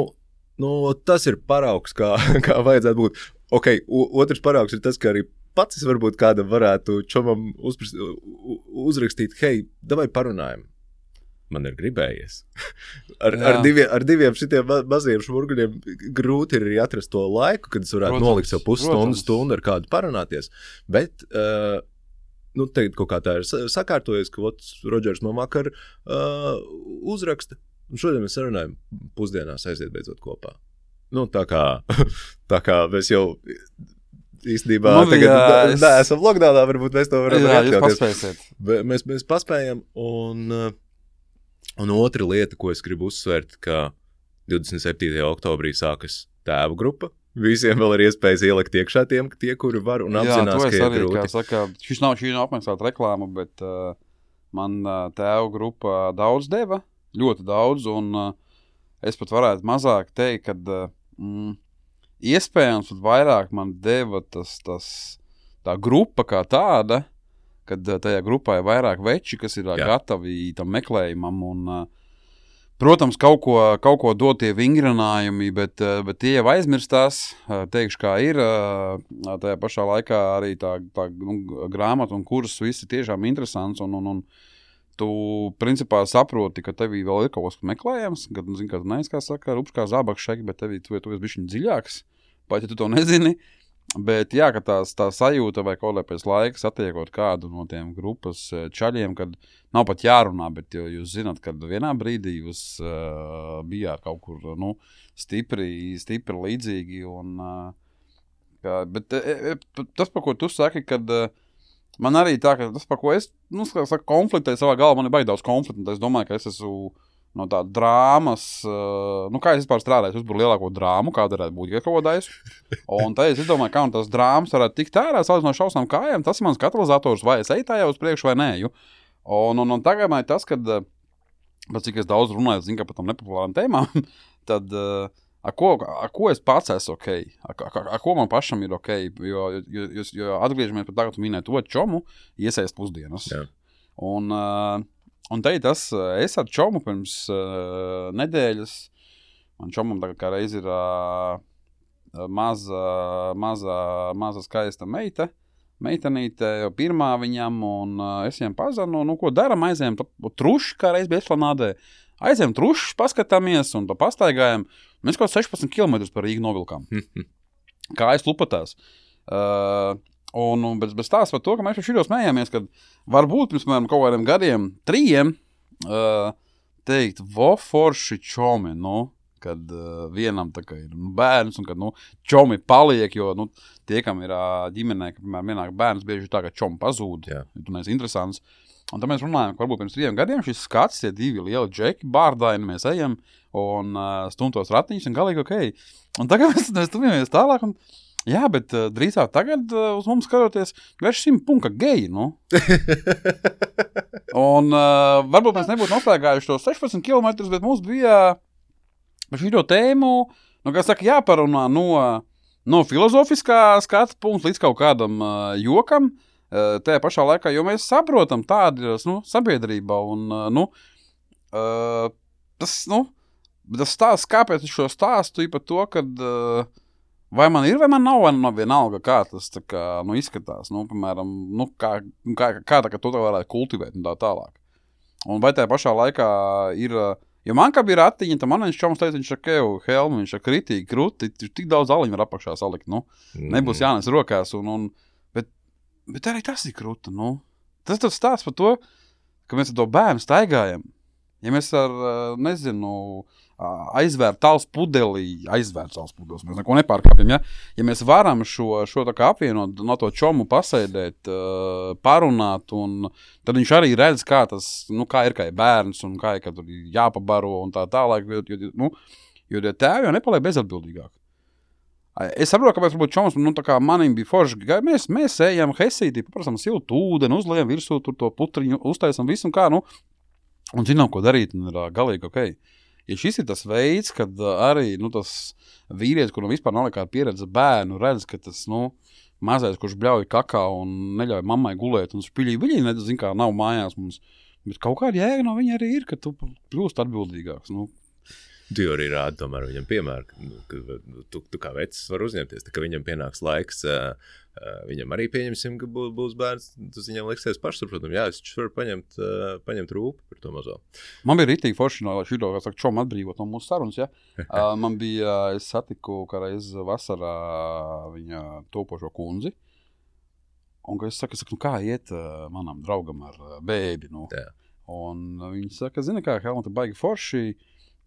nu, tas ir paraugs, kā, kā vajadzētu būt. Ok, u, otrs paraugs ir tas, ka arī pats es varbūt kādam varētu čomam uzprast, uzrakstīt, hei, davai parunājam. Man ir gribējies. ar, ar, diviem, ar diviem šitiem maziem šmurguļiem grūti ir arī atrast to laiku, kad es varētu protams, nolikt savu pusstundu, stundu ar kādu parunāties. Bet, uh, nu, tagad kaut kā tā ir sakārtojies, ka ot, Rodžers man vakar uh, uzraksta. Un šodien mēs sarunājam pusdienās aiziet beidzot kopā. Nu, tā kā, tā kā mēs jau īstenībā nu, tagad jā, es... nē, esam lockdownā, varbūt mēs to varam jā, jūs paspēsiet. Mēs, mēs paspējam un... Uh, Un otra lieta, ko es gribu uzsvērt, ka divdesmit septītajā oktobrī sākas tēvu grupa. Visiem vēl ir iespējas ielikt iekšā tiem, tie, kuri var un apzinās, ka ir arī, grūti. Jā, saka, šis nav, šī nav apmaksāta reklāma, bet uh, man uh, tēvu grupa daudz deva, ļoti daudz, un uh, es pat varētu mazāk teikt, ka uh, mm, iespējams pat vairāk man deva tas, tas, tā grupa kā tāda, kad tajā grupā ir vairāk veči, kas ir jā. Gatavi tam meklējumam un, protams, kaut ko, kaut ko dot tie vingrinājumi, bet, bet tie jau aizmirstās, teikšu, kā ir, tajā pašā laikā arī tā, tā nu, grāmata un kurs viss ir tiešām interesants un, un, un tu, principā, saproti, ka tevī vēl ir kaut kas meklējams, kad, nu, zin, kā tu neesi, kā saka, rupš kā zābaks šeit, bet tevī tu, tu esi bišķiņ dziļāks, pat ja tu to nezini. Bet jā, ka tās, tā sajūta vai kaut lai pēc laika satiekot kādu no tiem grupas čaļiem, kad nav pat jārunā, bet jūs zināt, kad vienā brīdī jūs uh, bijāt kaut kur, nu, stipri, stipri līdzīgi un, uh, kā, bet e, e, tas, par ko tu saki, kad uh, man arī tā, ka tas, par ko es, nu, saka, konfliktēju savā galvā, man ir baigi daudz konfliktu, es domāju, ka es esmu no tā drāmas, uh, nu kā es vispār strādāju, uzburu lielāko drāmu, kāda varētu būt, ja kaut ko daisu. Un tad es domāju, kā un tās drāmas varētu tikt ārā, salīdz no šausmām kājām, tas ir mans katalizators, vai es eju tā jau uz priekšu vai nē. Ju. Un, un, un tagad man ir tas, kad, pēc cik es daudz runāju, zinu, ka par tam nepopulārām tēmām, tad uh, ar, ko, ar ko es pats esmu ok, ar, ar, ar ko man pašam ir ok, jo, jo, jo, jo atgriežamies par tā, ka tu minēji to čomu, iesaist pusdienas. Jā. Un... Uh, Un te tas, es ar čomu pirms uh, nedēļas, man čomam tagad kā reiz ir uh, maza, maza, maza skaista meita, meitenīte, jau pirmā viņam, un uh, es viņam pazanu, nu, ko daram, aizējam truši, kā reiz bija Esplanādē, aizējam truši, paskatāmies un pa pastaigājam, mēs kaut sešpadsmit kilometrus par Rīgu novilkām, kā aiz lupatās. Uh, Un, un bez, bez tās par to, ka mēs par šīdos smējāmies, kad varbūt pirms mēram kaut kādiem gadiem, trījiem, uh, teikt, vo forši čomi, nu, kad uh, vienam tā kā ir nu, bērns, un kad, nu, čomi paliek, jo, nu, tie, kam ir uh, ģimenē, ka, piemēram, vienāk bērns bieži tā, ka čomi pazūd, ja tu neesi interesants. Un tad mēs runājam, ka varbūt pirms trījiem gadiem šis skats, tie divi lieli džeki, bārdaini, mēs ejam un uh, stumtos ratiņus un galīgi ok. Un tagad mēs, mēs tuvamies tālāk un jā, bet uh, drīzāk tagad uh, uz mums skatoties, vērš simt punka geji, nu. Un uh, varbūt mēs nebūtu noslēgājuši to sešpadsmit kilometrus, bet mums bija par šito tēmu, nu, kā saka, jāparunā no, no filozofiskā skata punkta līdz kaut kādam uh, jokam, uh, tajā pašā laikā, jo mēs saprotam tādi, nu, sabiedrībā un, uh, nu, uh, tas, nu, tas stāsts, kāpēc es šo stāstu ir par to, kad uh, vai man ir, vai man nav, vai man vienalga, kā tas tā kā, nu, izskatās, nu, piemēram, nu, kā, kā, kā tā, ka to tā varētu kultivēt un tā tālāk. Un vai tajā pašā laikā ir, jo man kā bija ratiņi, tad man viņš čoms teica, viņš ar kevu helmu, viņš ar kritīgi, krūti, tik daudz aliņu var apakšā salikt, nu, nebūs jānes rokās, un, un bet, bet arī tas ir krūta, nu. Tas tas stāsts par to, ka mēs ar to bērnu staigājam. Ja mēs ar, nezinu, aizvērt tāls pudelī, aizvērt tāls pudelis, mēs neko nepārkāpjam, ja? Ja mēs varam šo, šo tā kā apvienot, no to čomu pasēdēt, parunāt, un tad viņš arī redz, kā tas, nu, kā ir, kā ir bērns, un kā ir, ka tur jāpabaro, un tā tālāk, jo, nu, jo tēvi jau nepaliek bezatbildīgāk. Es saprotu, kāpēc varbūt čoms, nu, tā kā manim bija forši, mēs, mēs ejam hesītī, paprasam siltu ūdeni, uzliejam virsū tur to putriņu, uztaisam visu, un kā, nu, un zinām, ko darīt, un ir galīgi ok. Ja šis ir tas veids, kad arī, nu, tas vīrietis, kuram vispār nav nekāda pieredze bērnu, redz, ka tas, nu, mazais, kurš bļauj kakao un neļauj mammai gulēt, un spiļī viļī, nezin, kā nav mājās mums, bet kaut kāda jēga no viņa arī ir, ka tu kļūst atbildīgāks, nu. Tu arī rādi tomēr viņam piemēru, ka tu, tu kā vecis var uzņemties, tā, ka viņam pienāks laiks, uh, uh, viņam arī pieņemsim, ka būs, būs bērns, tas viņam liksies pašsaprotam, jā, es varu paņemt, uh, paņemt rūpi par to mazo. Man bija ritīgi forši no šito, kā saka, čom atbrīvot no mūsu sarunas, ja? uh, man bija, es satiku kā reiz vasarā viņa topošo kundzi, un, ka es saku, saku, nu kā iet uh, manam draugam ar uh, bēbi, nu, jā. Un uh, viņi saka, zini kā, Helmut, baigi forši,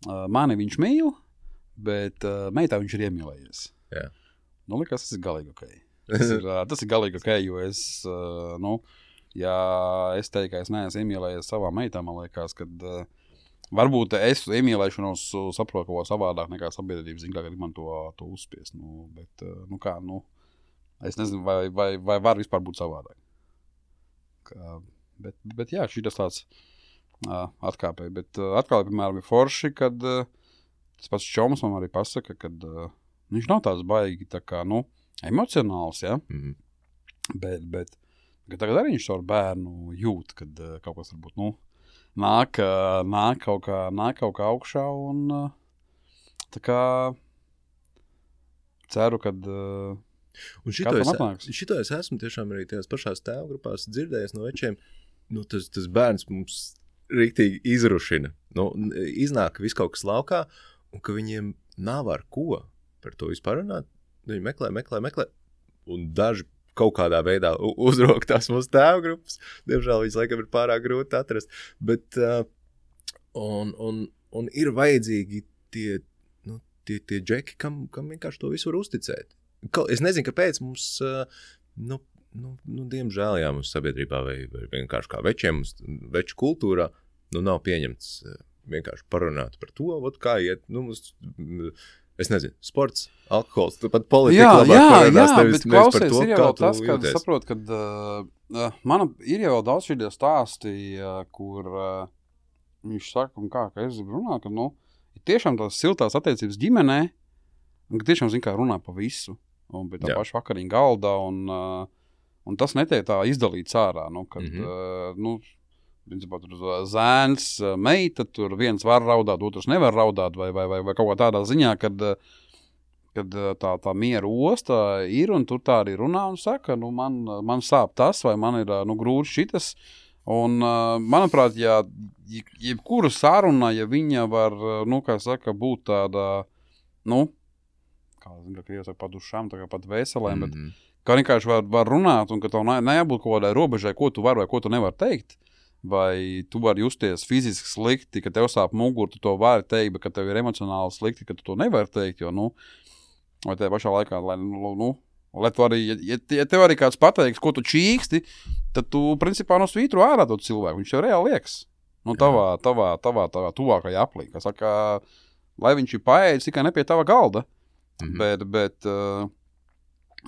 Uh, mani viņš mīl, bet uh, meitā viņš ir iemīlējies. Jā. Nu, likās, tas ir galīgi ok. Tas ir, uh, tas ir galīgi ok, jo es, uh, nu, ja es teiktu, ka es neesmu iemīlējies savā meitā, man liekas, kad uh, varbūt es iemīlēšanos saprotu kaut ko savādāk nekā sabiedrības, zin, kā grib man to, to uzspiest. Nu, bet, uh, nu kā, nu, es nezinu, vai, vai, vai var vispār būt savādāk. Kā, bet, bet jā, šī tas tāds Uh, atkāpēji, bet uh, atkal, piemēram, ir forši, kad uh, tas pats čoms man arī pasaka, kad uh, viņš nav tāds baigi, tā kā, nu, emocionāls, ja, mm-hmm. bet, bet tagad arī viņš savu bērnu jūt, kad uh, kaut kas varbūt, nu, nāk, uh, nāk, kaut kā, nāk kaut kā augšā, un uh, tā kā ceru, kad uh, un šito es, šito es esmu tiešām arī tajās pašās tēvgrupās dzirdējis no večiem, nu, tas, tas bērns mums riktīgi izrušina. Nu, iznāk viss kaut kas laukā, un ka viņiem nav ar ko par to vispār runāt. Viņi meklē, meklē, meklē, un daži kaut kādā veidā uzrok tās mūsu tēvgrupas. Diemžēl viņas laikam ir pārāk grūti atrast. Bet, uh, un, un, un ir vajadzīgi tie, nu, tie, tie džeki, kam, kam vienkārši to visu var uzticēt. Es nezinu, kāpēc mums, uh, nu, Nu, nu, diemžēl, jā, mums sabiedrībā vai, vai vienkārši kā večiem, veču kultūrā, nu, nav pieņemts vienkārši parunāt par to, ot, kā iet, nu, mums, es nezinu, sports, alkohols, tu pat politika jā, labāk jā, parunās, jā, nevis, bet nevis par klausies, to, ir jau kā tu tas, kad jūties. saprot, kad uh, mana ir jau daudz šie stāsti, uh, kur uh, viņš saka, un kā, ka es gribu runāt, ka, nu, ir tiešām tās siltās attiecības ģimenē, un ka tiešām, zin, kā runā pa visu, un pie tā jā. Paša vakariņa galda, un uh, Un tas netiek tā izdalīts ārā, nu, kad, mm-hmm. uh, nu, principā, tur zēns, meita, tur viens var raudāt, otrs nevar raudāt, vai, vai, vai, vai kaut kā tādā ziņā, kad, kad tā, tā miera osta ir, un tur tā arī runā un saka, nu, man, man sāp tas, vai man ir, nu, grūti šitas, un, uh, manuprāt, ja jebkura saruna, ja viņa var, nu, kā saka, būt tāda, nu, kā, zinu, ka krievs saka, pa dušām, tā kā pat veselēm, mm-hmm. bet kā vienkārši var, var runāt, un ka tev ne, nejābūt kaut kādai robežai, ko tu vari vai ko tu nevari teikt, vai tu vari justies fiziski slikti, ka tev sāp muguru, tu to vari teikt, bet ka tev ir emocionāli slikti, ka tu to nevari teikt, jo, nu, vai tajā pašā laikā, lai, nu, nu lai tu arī, ja, ja tev arī kāds pateiks, ko tu čīksti, tad tu, principā, no svītru ārā to cilvēku, viņš jau reāli liekas, nu, tavā, tavā, tavā, tavā tuvākajā aplī, kas saka, lai viņš ir paēdis tikai ne pie tava galda, mm-hmm. bet, bet, uh,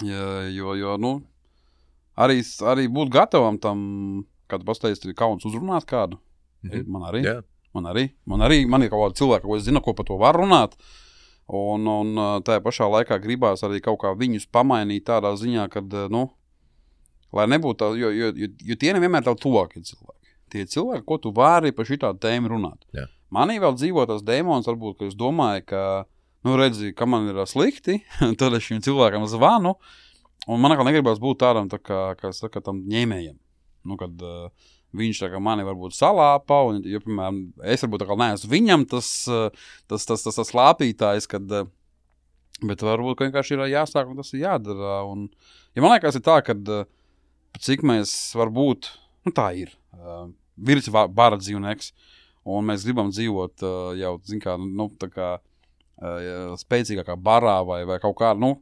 Ja, jo, jo, nu, arī, arī būt gatavam tam, kad pastājas kauns uzrunāt kādu. Mm-hmm. Man arī, yeah. man arī, man arī, man ir kaut kāda cilvēka, ko es zinu, ko par to var runāt, un, un tajā pašā laikā gribās arī kaut kā viņus pamainīt tādā ziņā, kad, nu, lai nebūtu tā, jo, jo, jo, jo tie nevienmēr tavi tuvākie cilvēki. Tie cilvēki, ko tu vari par šitādu tēmu runāt. Yeah. Manī vēl dzīvo tas dēmons, varbūt, ka es domāju, ka nu, redzi, ka man ir slikti, tad es šim cilvēkam zvanu, un man atkal negribas būt tādam, tā kā, kā saka, tam ņēmējam. Nu, kad uh, viņš tā kā mani varbūt salāpa, un, jo, piemēram, es varbūt tā kā neesmu viņam tas, tas, tas, tas, tas slāpītājs, kad, uh, bet varbūt, ka vienkārši ir jāsāk, un tas ir jādara. Un, ja man liekas, ir tā, kad uh, cik mēs varbūt, nu tā ir, uh, virs bara dzīvnieks, un mēs gribam dzīvot uh, jau, zin kā, nu, tā kā uh, spēcīgākā barā vai, vai kaut kā, nu,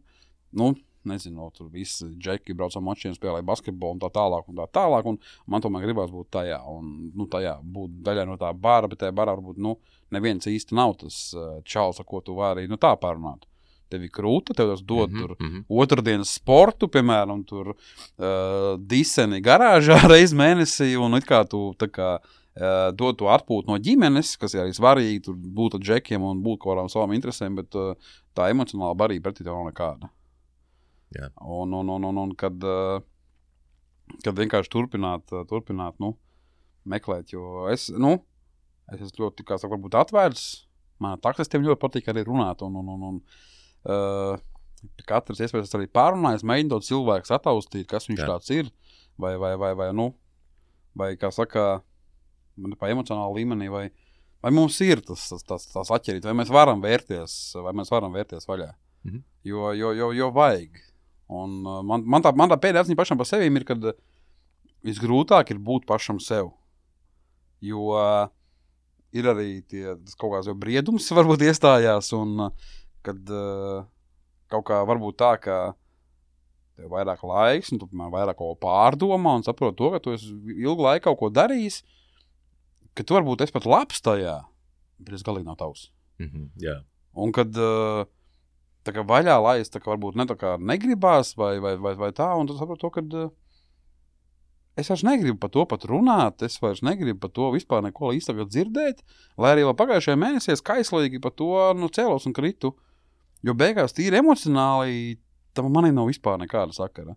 nu, nezinu, tur visi džeki brauc ar mačiem, spēlēja basketbolu un tā tālāk un tā tālāk, un man tomēr gribās būt tajā, un, nu, tajā būt daļai no tā bara, bet tajā barā varbūt, nu, neviens īsti nav tas uh, čals, ar ko tu vari, nu, tā pārunāt. Tev ir krūta, tev tas dod mm-hmm, tur mm-hmm. otrdienas sportu, piemēram, tur uh, diseni garāžā reiz mēnesī, un it kā tu tā kā uh, dod to atpūtu no ģimenes, kas ir arī svarīgi, tur būt ar džekiem un būt kaut kādām savām interesēm, bet uh, tā emocionāla barība pretī tev nav nekāda. Jā. Un, un, un, un, un kad, uh, kad vienkārši turpināt, uh, turpināt, nu, meklēt, jo es, nu, es esmu ļoti, kā saka, varbūt atvērts, man taksistiem ļoti patīk arī runāt, un, un, un, un Uh, katrs iespējas arī pārunājas, mēģina to cilvēku sataustīt, kas viņš Jā. Tāds ir, vai, vai, vai, vai, nu, vai, kā saka, pa emocionālu līmenī, vai, vai mums ir tas, tas, tas, tas atķerīt, vai mēs varam vērties, vai mēs varam vērties vaļā, mm-hmm. jo, jo, jo, jo vajag. Un uh, man, man tā, man tā pēdējā atziņa pašam par sevīm ir, kad visgrūtāk ir būt pašam sev, jo uh, ir arī tie, tas kaut kāds jau briedums varbūt iestājās, un uh, kad uh, kaut kā varbūt tā, ka tev vairāk laiks, un tu, piemēram, vairāk kaut ko pārdomā un saprot to, ka tu esi ilgu laiku kaut ko darījis, ka tu varbūt esi pat labs tajā, bet es galīgi nav tavs. Mm-hmm, yeah. Un kad uh, tā kā vaļā laist, tā kā varbūt ne tā kā negribās vai, vai, vai, vai tā, un tu saprot to, kad uh, es vairs negribu par to pat runāt, es vairs negribu par to vispār neko īsti tagad dzirdēt, lai arī vēl pagājušajā mēnesī es kaislīgi par to, nu, cēlos un kritu. Jo beigās tīri emocionāli tam manī nav vispār nekāda sakara.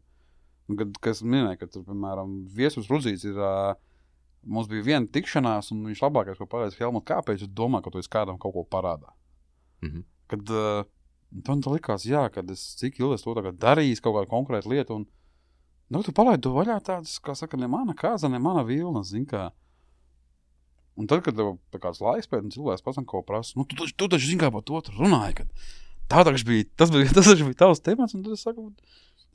Un kad, kas minēja, ka tur, piemēram, Viesus Rudzīts ir, uh, mums bija viena tikšanās, un viņš labākais, ko pateica, Helmut, kāpēc es domāju, ka tu esi kādam kaut ko parādā. Mm-hmm. Kad uh, man tā likās, jā, kad es cik ilgi es to tagad darījis, kaut kādu konkrētu lietu, un nu, tu palaidi to vaļā tādas, kā saka, ne mana kāza, ne mana vilna, zin kā. Un tad, kad tev tā kāds laiks pēc, un cilvēks pats kaut ko prasa, nu, tu, tu, tu taču zin kā par to runāji, kad tā taču bija, tas bija, tas taču bija tavs temats, un tad es saku,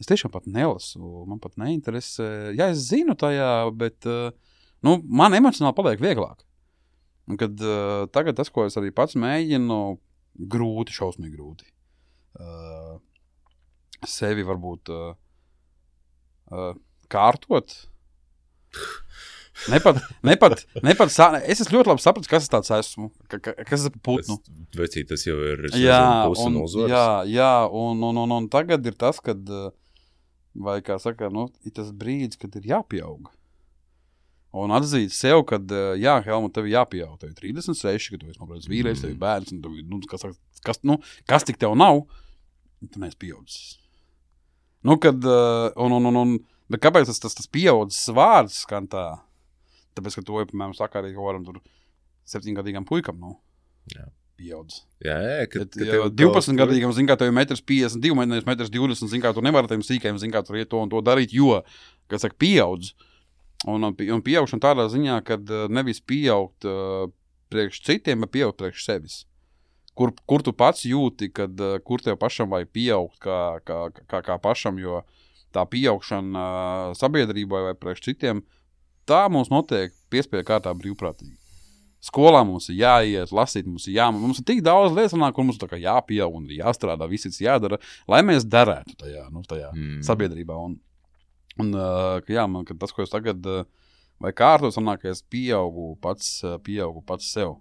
es tiešām pat nelasu, man pat neinteresē. Jā, es zinu tajā, bet, nu, man emocionāli paliek vieglāk. Un kad uh, tagad tas, ko es arī pats mēģinu, grūti, šausmīgi grūti. Uh, sevi varbūt uh, uh, kārtot. Nepat, nepat, nepat, es esmu ļoti labi sapratis, kas es tāds esmu, ka, ka, kas es esmu putnu. Vecīt, tas jau ir jā, pusi un, no uzvaras. Jā, jā, un, un, un, un tagad ir tas, kad, vai kā saka, nu, ir tas brīdis, kad ir jāpieaug. Un atzīt sev, kad, jā, Helmut, tev jāpieaug, tev ir trīsdesmit seši, ka tu esi nobrauc vīrietis, tev ir bērns, un tev, nu, kas, kas, nu, kas tik tev nav, tu neesi pieaudzis. Nu, kad, un, un, un, un, bet kāpēc tas, tas, tas pieaudzis vārds skan tā? Tāpēc, ka to, piemēram, saka arī kaut kādam tur septiņgadīgam puikam, nu, jā. Pieaudz. Jā, jā, kad, kad tev divpadsmitgadīgam, zin kā, tev ir metrs piecdesmit divi, metrs divdesmit, zin kā, tu nevari tiem sīkajiem, zin kā, tur iet to un to darīt, jo, kad saka, pieaudz. Un, un pieaugšana tādā ziņā, kad nevis pieaugt uh, priekš citiem, bet pieaugt priekš sevis. Kur, kur tu pats jūti, kad, uh, kur tev pašam vajag pieaugt kā, kā, kā, kā pašam, jo tā pieaugšana uh, sabiedrībai vai priekš citiem, tā mums notiek piespēja kārtā brīvprātīgi. Skolā mums ir jāiet, lasīt mums ir jāmā. Mums ir tik daudz lietas, kur mums tā kā jāpieaug un jāstrādā, viss ir jādara, lai mēs darētu tajā, nu, tajā mm. sabiedrībā. Un, un jā, man, kad tas, ko es tagad, vai kārtot sanāk, ka es pieaugu pats, pieaugu pats sev.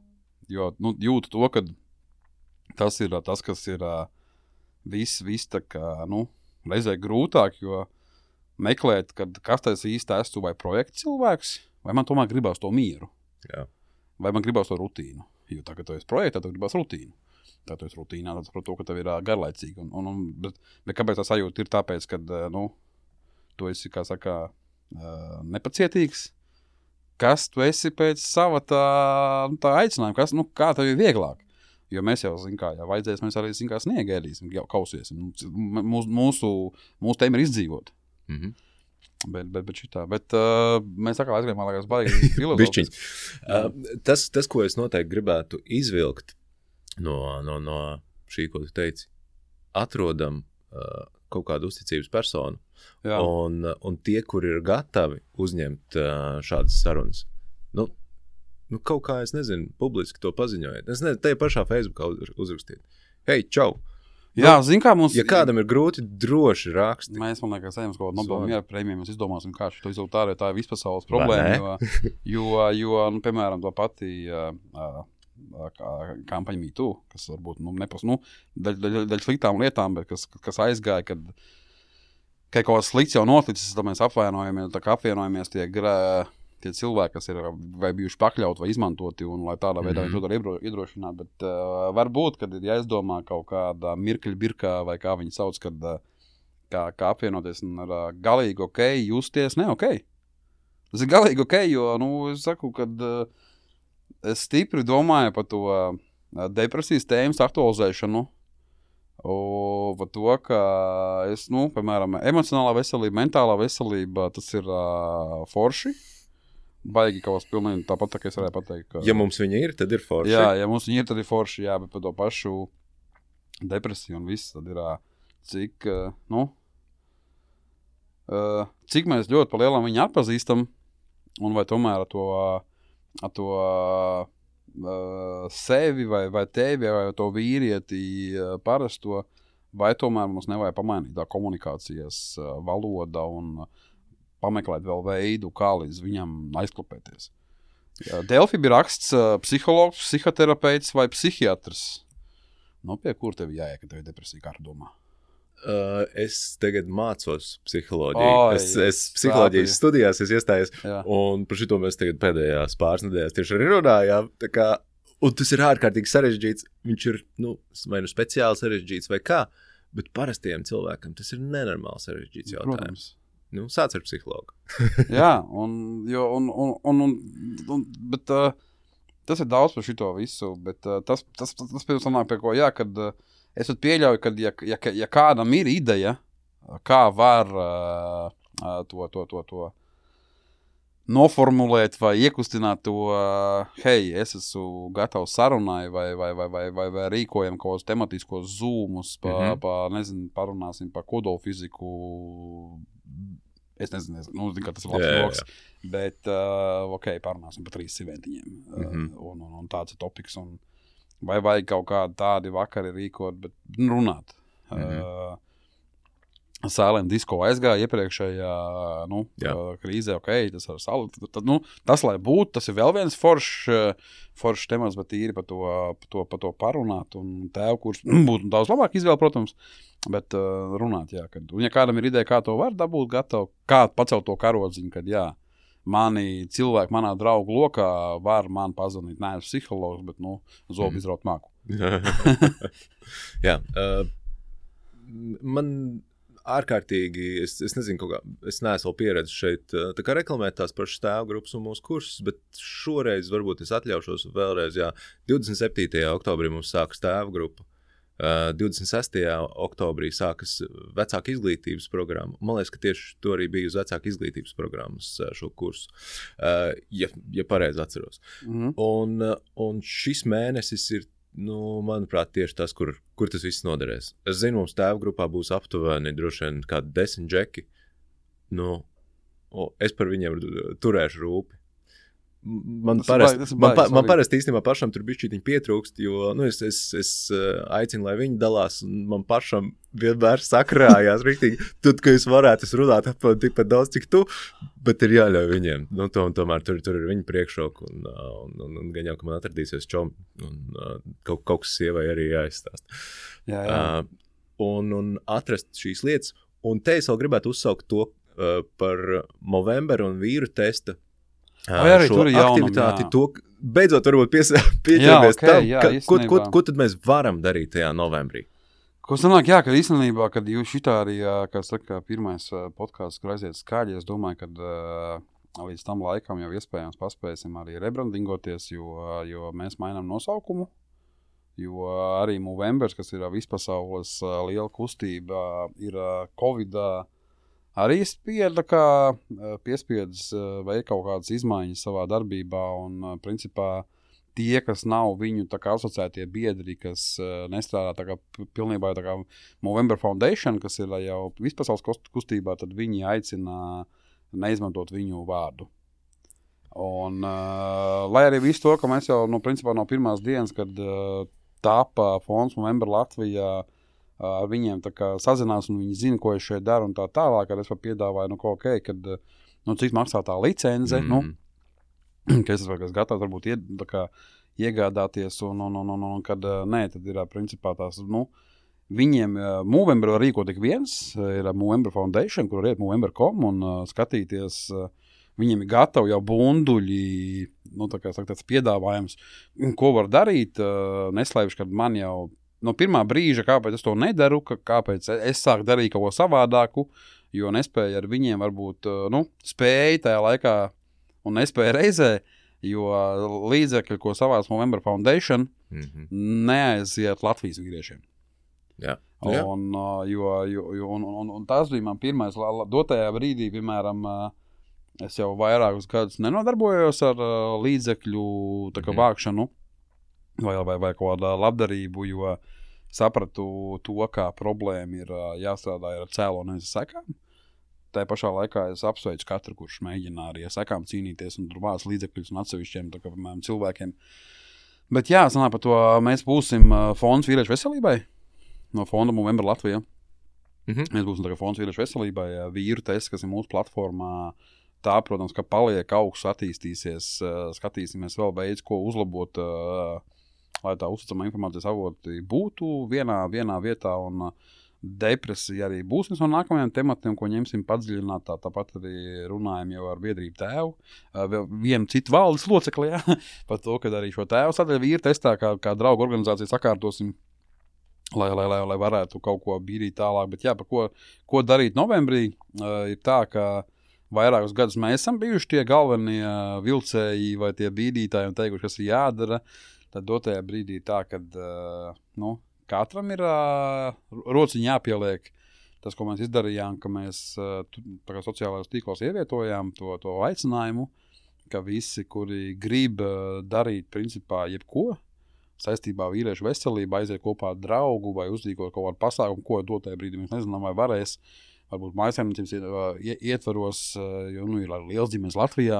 Jo, nu, jūtu to, ka tas ir tas, kas ir viss, viss tā kā, nu, reizē grūtāk, jo meklēt, kad kas tas īsti esmu vai projekta cilvēks, vai man tomēr gribās to mieru. Jā. Vai man gribās to rutīnu. Jo tā, ka tu esi projektā, tev gribās rutīnu. Tā tu esi rutīnā, tad par to, ka tev ir uh, garlaicīgi. Un, un, un, bet, bet kāpēc tā sajūta ir tāpēc, kad, uh, nu, tu esi, kā saka, uh, nepacietīgs, kas tu esi pēc sava tā, nu, tā aicinājuma, kas, nu, kā tev ir vieglāk. Jo mēs jau, zin kā, ja vajadzēs, mēs arī, zin kā, sniegēdīsim, jau kausiesim. Mūsu, mūsu, mūsu tēma ir izdzīvot. Mhm. Bet, bet, bet šitā, bet uh, mēs tā kā aizgrējām, man liekas, baigi filozofis. uh, tas, tas, ko es noteikti gribētu izvilkt no, no, no šī, ko tu teici, atrodam uh, kaut kādu uzticības personu, un, un tie, kuri ir gatavi uzņemt uh, šādas sarunas, nu, nu, kaut kā, es nezinu, publiski to paziņojiet. Es nezinu, te pašā Facebookā uzrakstīt. Hei, čau! Jā, nu, zin kā mums... Ja kādam ir grūti, droši raksti. Mēs, man liekas, ejam uz kaut kādu Nobel miera prēmiju, mēs izdomāsim, kā šo izdarīt ārē, tā ir vispasaules problēma, jo, jo, jo, nu, piemēram, to pati uh, uh, kampaņa Me Too, kas varbūt, nu, nepas, nu, daļ, daļ, daļ sliktām lietām, bet kas, kas aizgāja, kad, kad kaut kas slikts jau noticis, tad mēs apvainojamies, tā kā apvienojamies tie, tie cilvēki, kas ir vai bijuši pakļauti vai izmantoti, un lai tādā veidā mm-hmm. viņi to var iedrošināt, bet uh, varbūt, kad ir jāizdomā kaut kāda mirkļa birkā, vai kā viņi sauc, kad uh, kā, kā apvienoties un ar uh, galīgi ok, justies, ne ok. Tas ir galīgi ok, jo, nu, es saku, kad uh, es stipri domāju par to uh, depresijas tēmas aktualizēšanu, o, par to, ka es, nu, piemēram, emocionālā veselība, mentālā veselība, tas ir uh, forši. Baigi kaut kas pilnīgi tāpat, tā kā es varēju pateikt. Ka... Ja mums viņi ir, tad ir forši. Jā, ja mums viņi ir, tad ir forši, jā, bet par to pašu depresiju un viss, tad ir, cik, nu, cik mēs ļoti pa lielam viņu atpazīstam, un vai tomēr ar to, ar to sevi vai, vai tevi vai to vīrieti parasto, vai tomēr mums nevajag pamainīt tā komunikācijas valoda un pameklēt vēl veidu, kā līdz viņam aizklapēties. Delfi bija raksts uh, psihologs, psihoterapeits vai psihiatrs. Nu, pie kur tev jāiet, ka tev ir depresija, kā tu domā? Uh, es tagad mācos psiholoģiju. Oi, es, es psiholoģijas sāpīgi. studijās es iestājos, Jā. un par šito mēs tagad pēdējās pāris nedēļās tieši arī runājām. Tā kā, un tas ir ārkārtīgi sarežģīts. Viņš ir, nu, vai nu speciāli sarežģīts vai kā, bet parastiem cilvēkam tas ir nenormāli sarežģīts jautājums. Protams. Nu, sāc ar psihologu. Jā, un, jo, un, un, un, un, un bet uh, tas ir daudz par šito visu, bet uh, tas, tas, tas, tas pēc sanāk pie ko, jā, kad uh, es pat pieļauju, kad ja, ja, ja kādam ir ideja, kā var uh, uh, to, to, to, to noformulēt vai iekustināt to, uh, hei, es esmu gatavs sarunai vai, vai, vai, vai, vai, vai rīkojam kaut kādus tematiskos zoomus, pa, mm-hmm. pa, nezinu, parunāsim par kodolfiziku. Es nezinu, nezinu, nu, zinu, ka tas ir labs jā, joks, jā. Bet, uh, ok, parunāsim par trīs siventiņiem, mm-hmm. uh, un, un, un tāds ir topiks, un vai vajag kaut kādi tādi vakari rīkot, bet runāt. Mm-hmm. Uh, Silent Disco aizgāja iepriekšējā, nu, uh, krīzē, ok, tas ar salu, tad, tad, nu, tas, lai būtu, tas ir vēl viens foršs, foršs temats, bet īri par to, par to, par to parunāt, un tev, kurš būtu daudz labāk izvēle, protams, bet uh, runāt, jā, kad, un ja kādam ir ideja, kā to var dabūt gatavu, kā pacelt to karodziņu, kad, jā, mani cilvēki manā draugu lokā var man pazvanīt, neesmu psihologs, bet, nu, zobu mm. izraut māku. jā, uh, man... ārkārtīgi, es, es nezinu, kaut kā, es neesmu vēl pieredzis šeit, tā kā reklamēt tās pašas tēvu grupas un mūsu kursus, bet šoreiz varbūt es atļaušos vēlreiz, jā, divdesmit septītajā oktobrī mums sākas tēvu grupa, uh, divdesmit sestajā oktobrī sākas vecāka izglītības programma. Man liekas, ka tieši to arī bija uz vecāka izglītības programmas šo kursu, uh, ja, ja pareizi atceros. Mm-hmm. Un, un šis mēnesis ir nu, manuprāt, tieši tas, kur, kur tas viss noderēs. Es zinu, mums tēvu grupā būs aptuveni droši vien kādi desmit džeki. Nu, es par viņiem turēšu rūpi. Man parasti man, pa, man parasti īstenībā pašam tur bišķītiņi pietrūkst, jo nu, es, es, es aicinu, lai viņi dalās, un man pašam vienmēr sakrājās riktīgi. Tad, ka es varētu es runāt apmēram tikpat daudz, cik tu, bet ir jāļauj viņiem. Nu, to, un tomēr tur, tur ir viņa priekšroka, un, un, un, un gan jau, ka man atradīsies čomi, un kaut, kaut kas sievai arī jāizstāst. Jā, jā. Uh, un, un atrast šīs lietas. Un te es vēl gribētu uzsaukt to uh, par Movember un vīru testa. Vai arī šo tur ir aktivitāti, jaunam, to, beidzot varbūt pieķeramies okay, tam, jā, ka, ko, ko, ko tad mēs varam darīt tajā novembrī? Ko sanāk, jā, kad īstenībā, kad jūs šitā arī, kā saka, pirmais podcasts, kur aiziet skaļi, es domāju, kad uh, līdz tam laikam jau iespējams paspēsim arī rebrandingoties, jo, jo mēs mainām nosaukumu, jo arī Movembers, kas ir vispasaules uh, liela kustība, ir uh, Covid arī spieda, kā piespiedz veikt kaut kādas izmaiņas savā darbībā, un principā tie, kas nav viņu tā kā asociētie biedri, kas nestrādā tā kā pilnībā tā kā Movember Foundation, kas ir jau vispasaules kustībā, tad viņi aicina neizmantot viņu vārdu. Un, uh, lai arī visu to, ka mēs jau no, principā, no pirmās dienas, kad uh, tāpa fonds Movember Latvijā, uh, ar viņiem tā kā sazinās un viņi zina, ko es šeit daru un tā tālāk, kad es pat piedāvāju, nu, ko ok, kad, nu, cik maksā tā licence, mm. nu, ka es esmu gatavs varbūt ied, tā kā iegādāties un, un, un, un, un kad uh, nē, tad ir uh, principā tās, nu, viņiem uh, Movember var rīkot tik viens, ir uh, Movember Foundation, kur iet movember dot com un uh, skatīties, uh, viņiem ir gatavi jau bunduļi, nu, tā kā saka, tāds piedāvājums, ko var darīt. Uh, neslēpšu, ka man jau no pirmā brīža, kāpēc es to nedaru, ka, kāpēc es sāku darīt kaut ko savādāku, jo nespēju ar viņiem varbūt, uh, nu, spēju tajā laikā un nespēju reizē, jo līdzekļi, ko savāc Movember Foundation, mm-hmm. neaiziet Latvijas vīriešiem. Jā. Jā. Un, uh, jo, jo, jo, un, un, un tas bija man pirmais, dotajā brīdī, piemēram, uh, es jau vairākus gadus nenodarbojos ar uh, līdzekļu tā kā, mm. vākšanu vai, vai, vai kaut kādā labdarību, jo sapratu to, kā problēma ir uh, jāstrādā ar cēlo nevis sekām. Tā pašā laikā es apsveicu katru, kurš mēģina arī ar sekām cīnīties un tur vāc līdzekļus un atsevišķiem tā kā, piemēram, cilvēkiem. Bet jā, sanāk par to, mēs būsim uh, fonds vīriešu veselībai no fonda Movember Latvijā. Mm-hmm. Mēs būsim tā kā fonds vīriešu veselībai, vīru tests, kas ir mūsu platformā. Tā, protams, ka paliek augsts, attīstīsies, skatīsimies vēl veids, ko uzlabot, lai tā uzticama informācijas avoti būtu vienā, vienā vietā, un depresija arī būs viens no nākamajiem tematiem, ko ņemsim padziļināt, tā, tāpat arī runājam jau ar biedrību tēvu, vienu citu valdes locekli, jā, par to, ka arī šo tēvu sadaļu vīru testā, kā, kā draugu organizāciju sakārtosim, lai, lai, lai, lai varētu kaut ko bīdīt tālāk, bet jā, par ko, ko darīt novembrī, ir tā, ka vairākus gadus mēs esam bijuši tie galvenie vilcēji vai tie bīdītāji un teikuši, kas ir jādara. Tad dotajā brīdī tā, kad uh, nu, katram ir uh, rociņi jāpieliek. Tas, ko mēs izdarījām, ka mēs uh, tā kā sociālajos tīklos ievietojām to, to aicinājumu, ka visi, kuri grib uh, darīt principā jebko, saistībā vīriešu veselību, aiziet kopā ar draugu vai uzrīkot kaut kādu pasākumu, ko dotajā brīdī mēs nezinām, vai varēs. Varbūt mājasēmniecības ietvaros, jo nu, ir liels ģimenes Latvijā,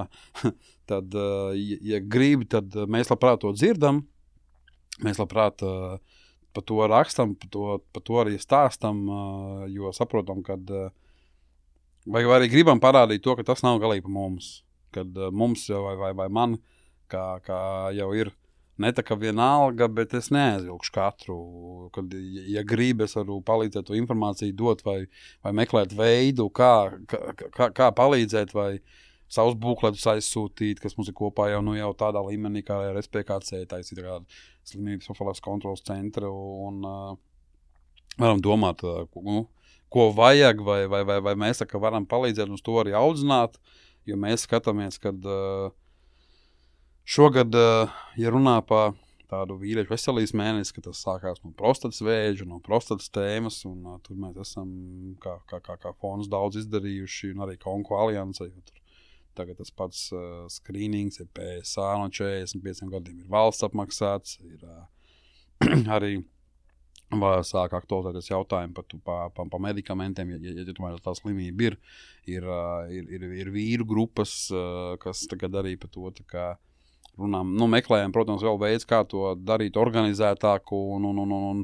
tad, ja grib, tad mēs labprāt to dzirdam, mēs labprāt par to rakstam, par to, par to arī stāstam, jo saprotam, kad vai arī gribam parādīt to, ka tas nav galīgi par mums, kad mums vai, vai, vai man, kā, kā jau ir, ne tā kā vienalga, bet es neaizvilkšu katru, kad, ja gribi, es varu palīdzēt to informāciju dot vai, vai meklēt veidu, kā, kā, kā palīdzēt vai savus būkletus aizsūtīt, kas mums ir kopā jau, nu, jau tādā līmenī, kā ar S P K C, tā ir kāda slimības profilaks kontrolas centra un uh, varam domāt, uh, nu, ko vajag vai, vai, vai, vai mēs tā, varam palīdzēt uz to arī audzināt, jo mēs skatāmies, kad uh, šogad, ja runā par tādu vīriešu veselības mēnesi, ka tas sākās no prostatas vēža, no prostatas tēmas, un uh, tur mēs esam kā, kā, kā, kā fonds daudz izdarījuši, un arī Konko alianse, jo tur tagad tas pats uh, skrīnings ir P S A no četrdesmit pieciem gadiem, ir valsts apmaksāts, ir uh, arī sāk aktualizēties jautājumi par, par, par, par medikamentiem, ja, ja, ja tomēr tā slimība ir, ir, uh, ir, ir, ir vīru grupas, uh, kas tagad arī par to tā kā runām, nu, meklējam, protams, vēl veids, kā to darīt organizētāku un, un, un, un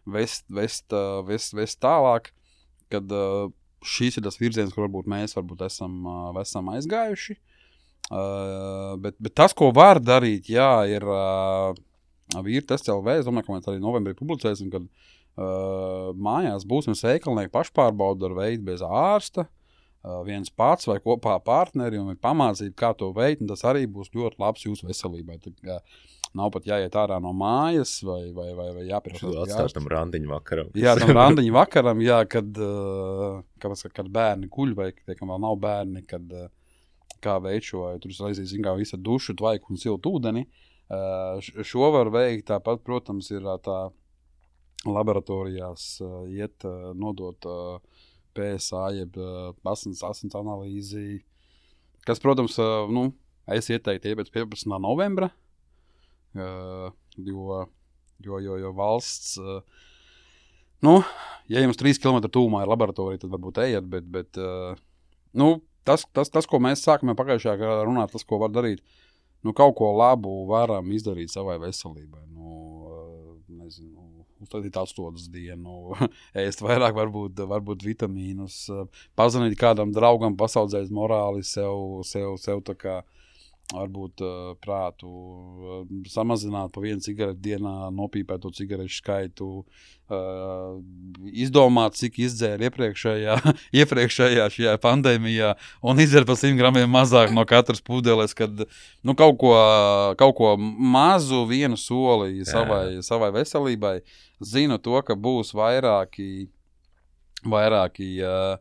vest, vest, vest, vest tālāk, kad uh, šīs ir tas virziens, kur varbūt mēs varbūt esam, uh, esam aizgājuši. Uh, bet, bet tas, ko var darīt, jā, ir uh, vīri tests L V. Es domāju, ka mēs arī novembrī publicēsim, kad uh, mājās būsim veikalnieki pašpārbaudu ar veidu bez ārsta. Uh, viens pats vai kopā partneri un pamācīt, kā to veikt, un tas arī būs ļoti labs jūsu veselībai. Tā, kā, nav pat jāiet ārā no mājas vai, vai, vai, vai jāpierās. Atstāt tam randiņu vakaram. Jā, tam randiņu vakaram, jā, kad, uh, kad, kad bērni kuļ vai, tiekam, vēl nav bērni, kad uh, kā veikt šo, tur es aizīs, kā visa dušu, tvaiku un siltu ūdeni. Uh, šo var veikt, tāpat, protams, ir tā laboratorijās uh, iet, uh, nodot uh, P S A, jeb uh, asins, asins analīzi, kas, protams, uh, nu, es ieteiktu iepēc piecpadsmitā novembra, uh, jo, jo, jo, jo valsts, uh, nu, ja jums trīs kilometri tūmā ir laboratorija, tad varbūt ejiet, bet, bet uh, nu, tas, tas, tas, ko mēs sākam jau pagājušajā gadā runāt, tas, ko var darīt, nu, kaut ko labu varam izdarīt savai veselībai. Nu, nezinu, uztaisīt astotas dienu, ēst vairāk varbūt, varbūt vitamīnus, pazvanīt kādam draugam, pasaudzēt morāli sev, sev, sev tā kā varbūt uh, prātu, uh, samazināt pa vienu cigareti dienā, nopīpēt to cigarešu skaitu, uh, izdomāt, cik izdzēra iepriekšējā, iepriekšējā šajā pandēmijā un izdzēra pa simt gramiem mazāk no katras pudeles, kad nu, kaut, ko, kaut ko mazu vienu soli savai, savai veselībai. Zinu to, ka būs vairāki, vairāki uh,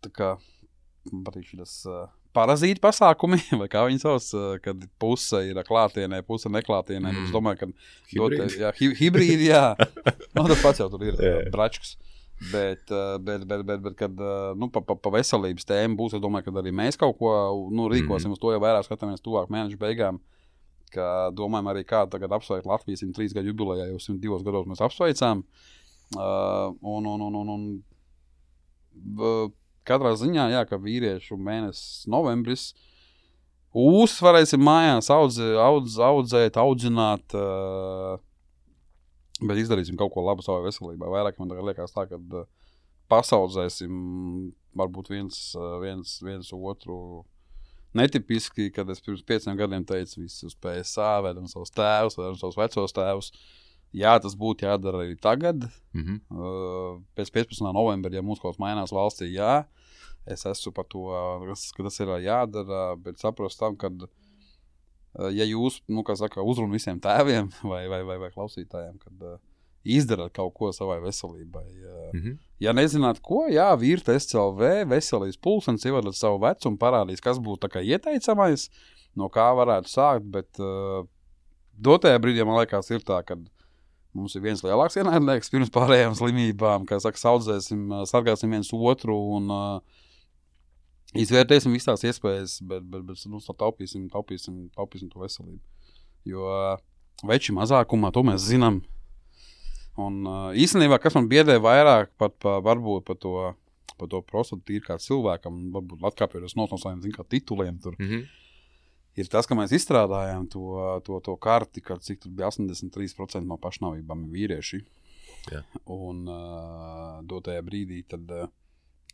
tā kā, patīk šis uh, parazīti pasākumi, vai kā viņi sauc, kad puse ir klātienē, puse neklātienē. Mm. Es domāju, ka hibrīdi, jā, hi, hibrīdi, jā. No, tas pats jau tur ir yeah. bračks. Bet, bet, bet, bet, bet kad nu, pa, pa, pa veselības tēmu būs, es domāju, ka arī mēs kaut ko nu, rīkosim. Mm. Uz to jau vairāk skatāmies tuvāk mēnešu beigām. Ka domājam arī, kā tagad apsveikt Latvijas simt trīs gadu jubilejā, jau simt divos gados mēs apsveicām. Uh, un, un, un, un, un, uh, Katrā ziņā, jā, ka vīriešu mēnesis novembris uzvarēsim mājās audzē, audz, audzēt, audzināt, uh, bet izdarīsim kaut ko labu savai veselībai. Vairāk man tagad liekas tā, ka uh, pasaudzēsim varbūt viens, uh, viens, viens otru netipiski, kad es pirms pieciem gadiem teicu visu uz P S A, vedam savus tēvus, vedam savus vecos tēvus. Jā, tas būtu jādara arī tagad. Mm-hmm. Uh, pēc piecpadsmitā novembra, ja mums kaut kas mainās valstī, jā, es esmu par to, ka tas ir jādara, bet saprast tam, ka, uh, ja jūs, nu, kā saka, uzrun visiem tēviem vai, vai, vai, vai klausītājiem, kad uh, izdarat kaut ko savai veselībai. Uh, mm-hmm. Ja nezināt, ko, jā, Virta S C L V, veselības pulkstenis, ievadat savu vecumu, parādīs, kas būtu tā kā ieteicamais, no kā varētu sākt, bet uh, dotajā brīdī, man liekas, ir tā, kad mums ir viens lielāks ienaidnieks pirms pārējām slimībām, kā saka, saudzēsim, sargāsim viens otru un uh, izvērtēsim visas tās iespējas, bet, bet, bet nu, taupīsim, taupīsim, taupīsim to veselību. Jo uh, veči mazākumā, to mēs zinām. Un uh, īstenībā, kas man biedē vairāk pat pa, varbūt par to, pa to prostatu tīri kā cilvēkam, varbūt atkāpjoties no saviem, zin, kā tituliem tur, mm-hmm. ir tas, ka mēs izstrādājām to, to, to karti, kad cik tur bija astoņdesmit trīs procenti no pašnāvībām vīrieši. Jā. Un uh, dotajā brīdī tad uh,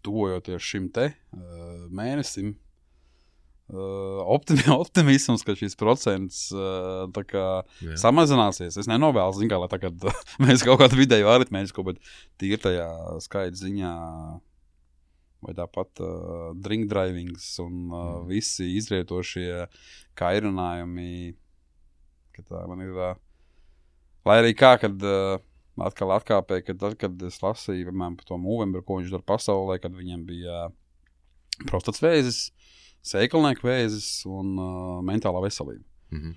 tuvojoties šim te uh, mēnesim, uh, optimi, optimisms, ka šis procents uh, tā kā Jā. samazināsies. Es nenovēlu, zin kā, lai tagad uh, mēs kaut kādu vidēju aritmētisko, bet tīri tajā skaita ziņā vai tāpat uh, drink drivings un uh, mm. visi izrietošie kairinājumi, ka tā man ir, uh, lai arī kā, kad uh, atkal atkāpēja, kad tad, kad es lasīju, piemēram, par to Movember, ko viņš dara pasaulē, kad viņam bija uh, prostats vēzis, sēklnieku vēzis un uh, mentālā veselība. Mm-hmm.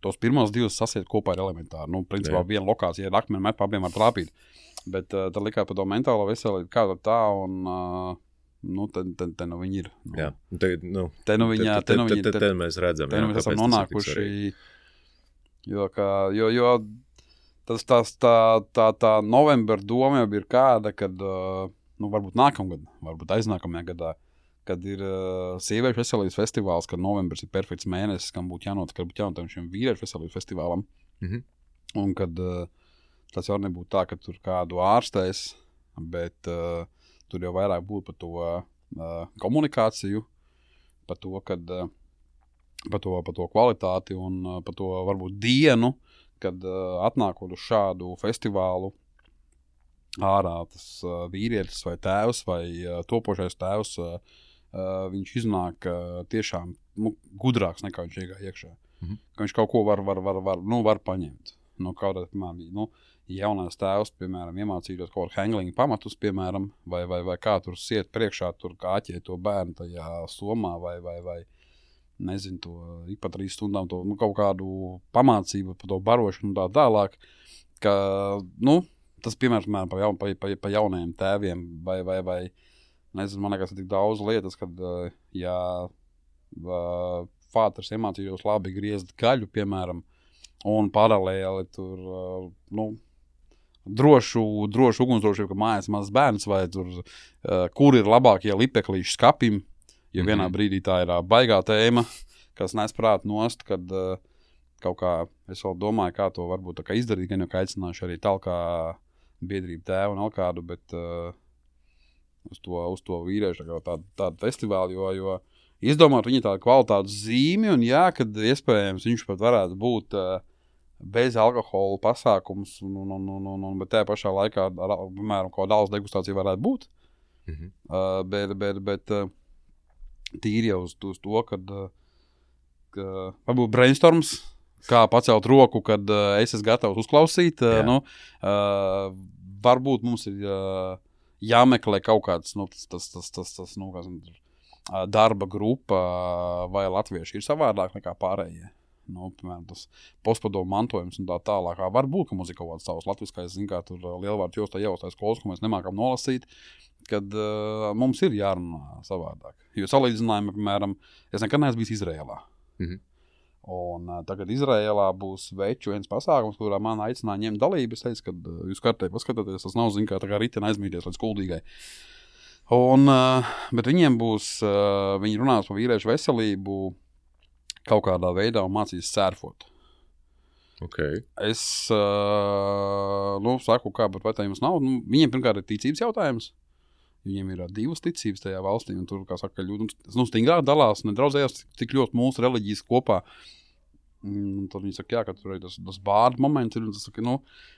Tos pirmos divus sasiet kopā ir elementāri. Nu, principā Jā. viena lokācija ir akmeni met, pa abiem var trāpīt. Bet uh, tad likā par to mentālo veselību, kā tā un... Uh, Nu, te, te, te nu viņi ir. Nu, jā, te, nu, te nu viņi, te, te, te, te, te, te mēs redzam. Te nu mēs esam nonākuši, jo, kā, jo, jo tas, tas, tā, tā, tā novembra doma jau ir kāda, kad, nu, varbūt nākamgad, varbūt aiznākamajā gadā, kad ir uh, sieviešu veselības festivāls, kad novembris ir perfekts mēnesis, kam būtu jānotiek, kad būtu jānotiek šiem vīriešu veselības festivālam. Mm-hmm. Un kad uh, tas jau nebūtu tā, ka tur kādu ārstēs, bet... Uh, Tur jau vairāk būtu par to uh, komunikāciju, par to, kad, uh, par to, par to kvalitāti un uh, par to varbūt dienu, kad uh, atnākot uz šādu festivālu ārā tas uh, vīrietis vai tēvs vai uh, topošais tēvs, uh, uh, viņš iznāk uh, tiešām nu, gudrāks nekā viņš iegāja iekšā. Mm-hmm. Ka viņš kaut ko var, var, var, var, nu, var paņemt. Nu, kaut kā, piemēram, nu, jaunais tēvs, piemēram, iemācītos kaut kādu hanglingu pamatus, piemēram, vai, vai, vai kā tur siet priekšā, tur kāķē to bērnu tajā somā, vai, vai, vai nezinu, to ik pa trīs stundām to, nu, kaut kādu pamācību par to barošanu un tā tālāk, ka, nu, tas, piemēram, pa, jaun, pa, pa, pa jaunajiem tēviem, vai, vai, vai, nezinu, man liekas, ir tik daudz lietas, kad, ja fāters iemācījos labi griezt gaļu, piemēram, un paralēli tur, nu, drošu, drošu ugunsdrošību, ka mājās mazs bērns vai tur, uh, kur ir labākie lipeklīši skapim, Jo mm-hmm. vienā brīdī tā ir baigā tēma, kas nes prātu nost, kad uh, kaut kā es vēl domāju, kā to varbūt tā kā izdarīt, gan jau kā aicināšu arī tālkā biedrību tēvu un Alkādu, bet uh, uz, to, uz to vīriešu tādu, tādu festivālu, jo, jo izdomāt viņa tādu kvalitātu zīmi, un jā, kad iespējams viņš pat varētu būt uh, bez alkohola pasākums, un, un, un, un, un, bet tajā pašā laikā, ar, piemēram, kaut kāda alus degustācija varētu būt. Mm-hmm. Uh, bet bet, bet uh, tīri jau uz, uz to, kad uh, ka, varbūt brainstorms, kā pacelt roku, kad uh, es esmu gatavs uzklausīt. Uh, nu, uh, varbūt mums ir uh, jāmeklē kaut kāds nu, tas, tas, tas, tas, tas, nu, kas, uh, darba grupa, uh, vai latvieši ir savādāk nekā pārējie. Nu, piemēram, tas postpadomu mantojums un tā tālāk. Varbūt, ka mums ir kaut kāds savs latviskais, zin kā tur lielvārds jostā jaustās skolas, ko mēs nemākam nolasīt, kad uh, mums ir jārunā savādāk. Jo salīdzinājumi, piemēram, es nekad neesmu bijis Izrēlā. Mm-hmm. Un uh, tagad Izrēlā būs veču viens pasākums, kurā man aicināja ņemt dalību. Es teicu, ka uh, jūs kartē paskatāties, tas nav, zin kā, tā kā ritena aizmīties līdz kuldīgai. Un, uh, bet viņiem būs, uh, viņi runās par vīriešu veselību, kaut kādā veidā un mācīs sērfot. Okay. Es, uh, nu, saku, kā, bet vai tā jums nav? Nu, viņiem pirmkārt ir ticības jautājums. Viņiem ir uh, divas ticības tajā valstī, un tur, kā saka, ļoti, nu, stingrāk dalās, nedraudzējās tik ļoti mūsu reliģijas kopā. Un tad viņi saka, jā, ka tur ir tas, tas bārdu moments ir, un tas saka, nu,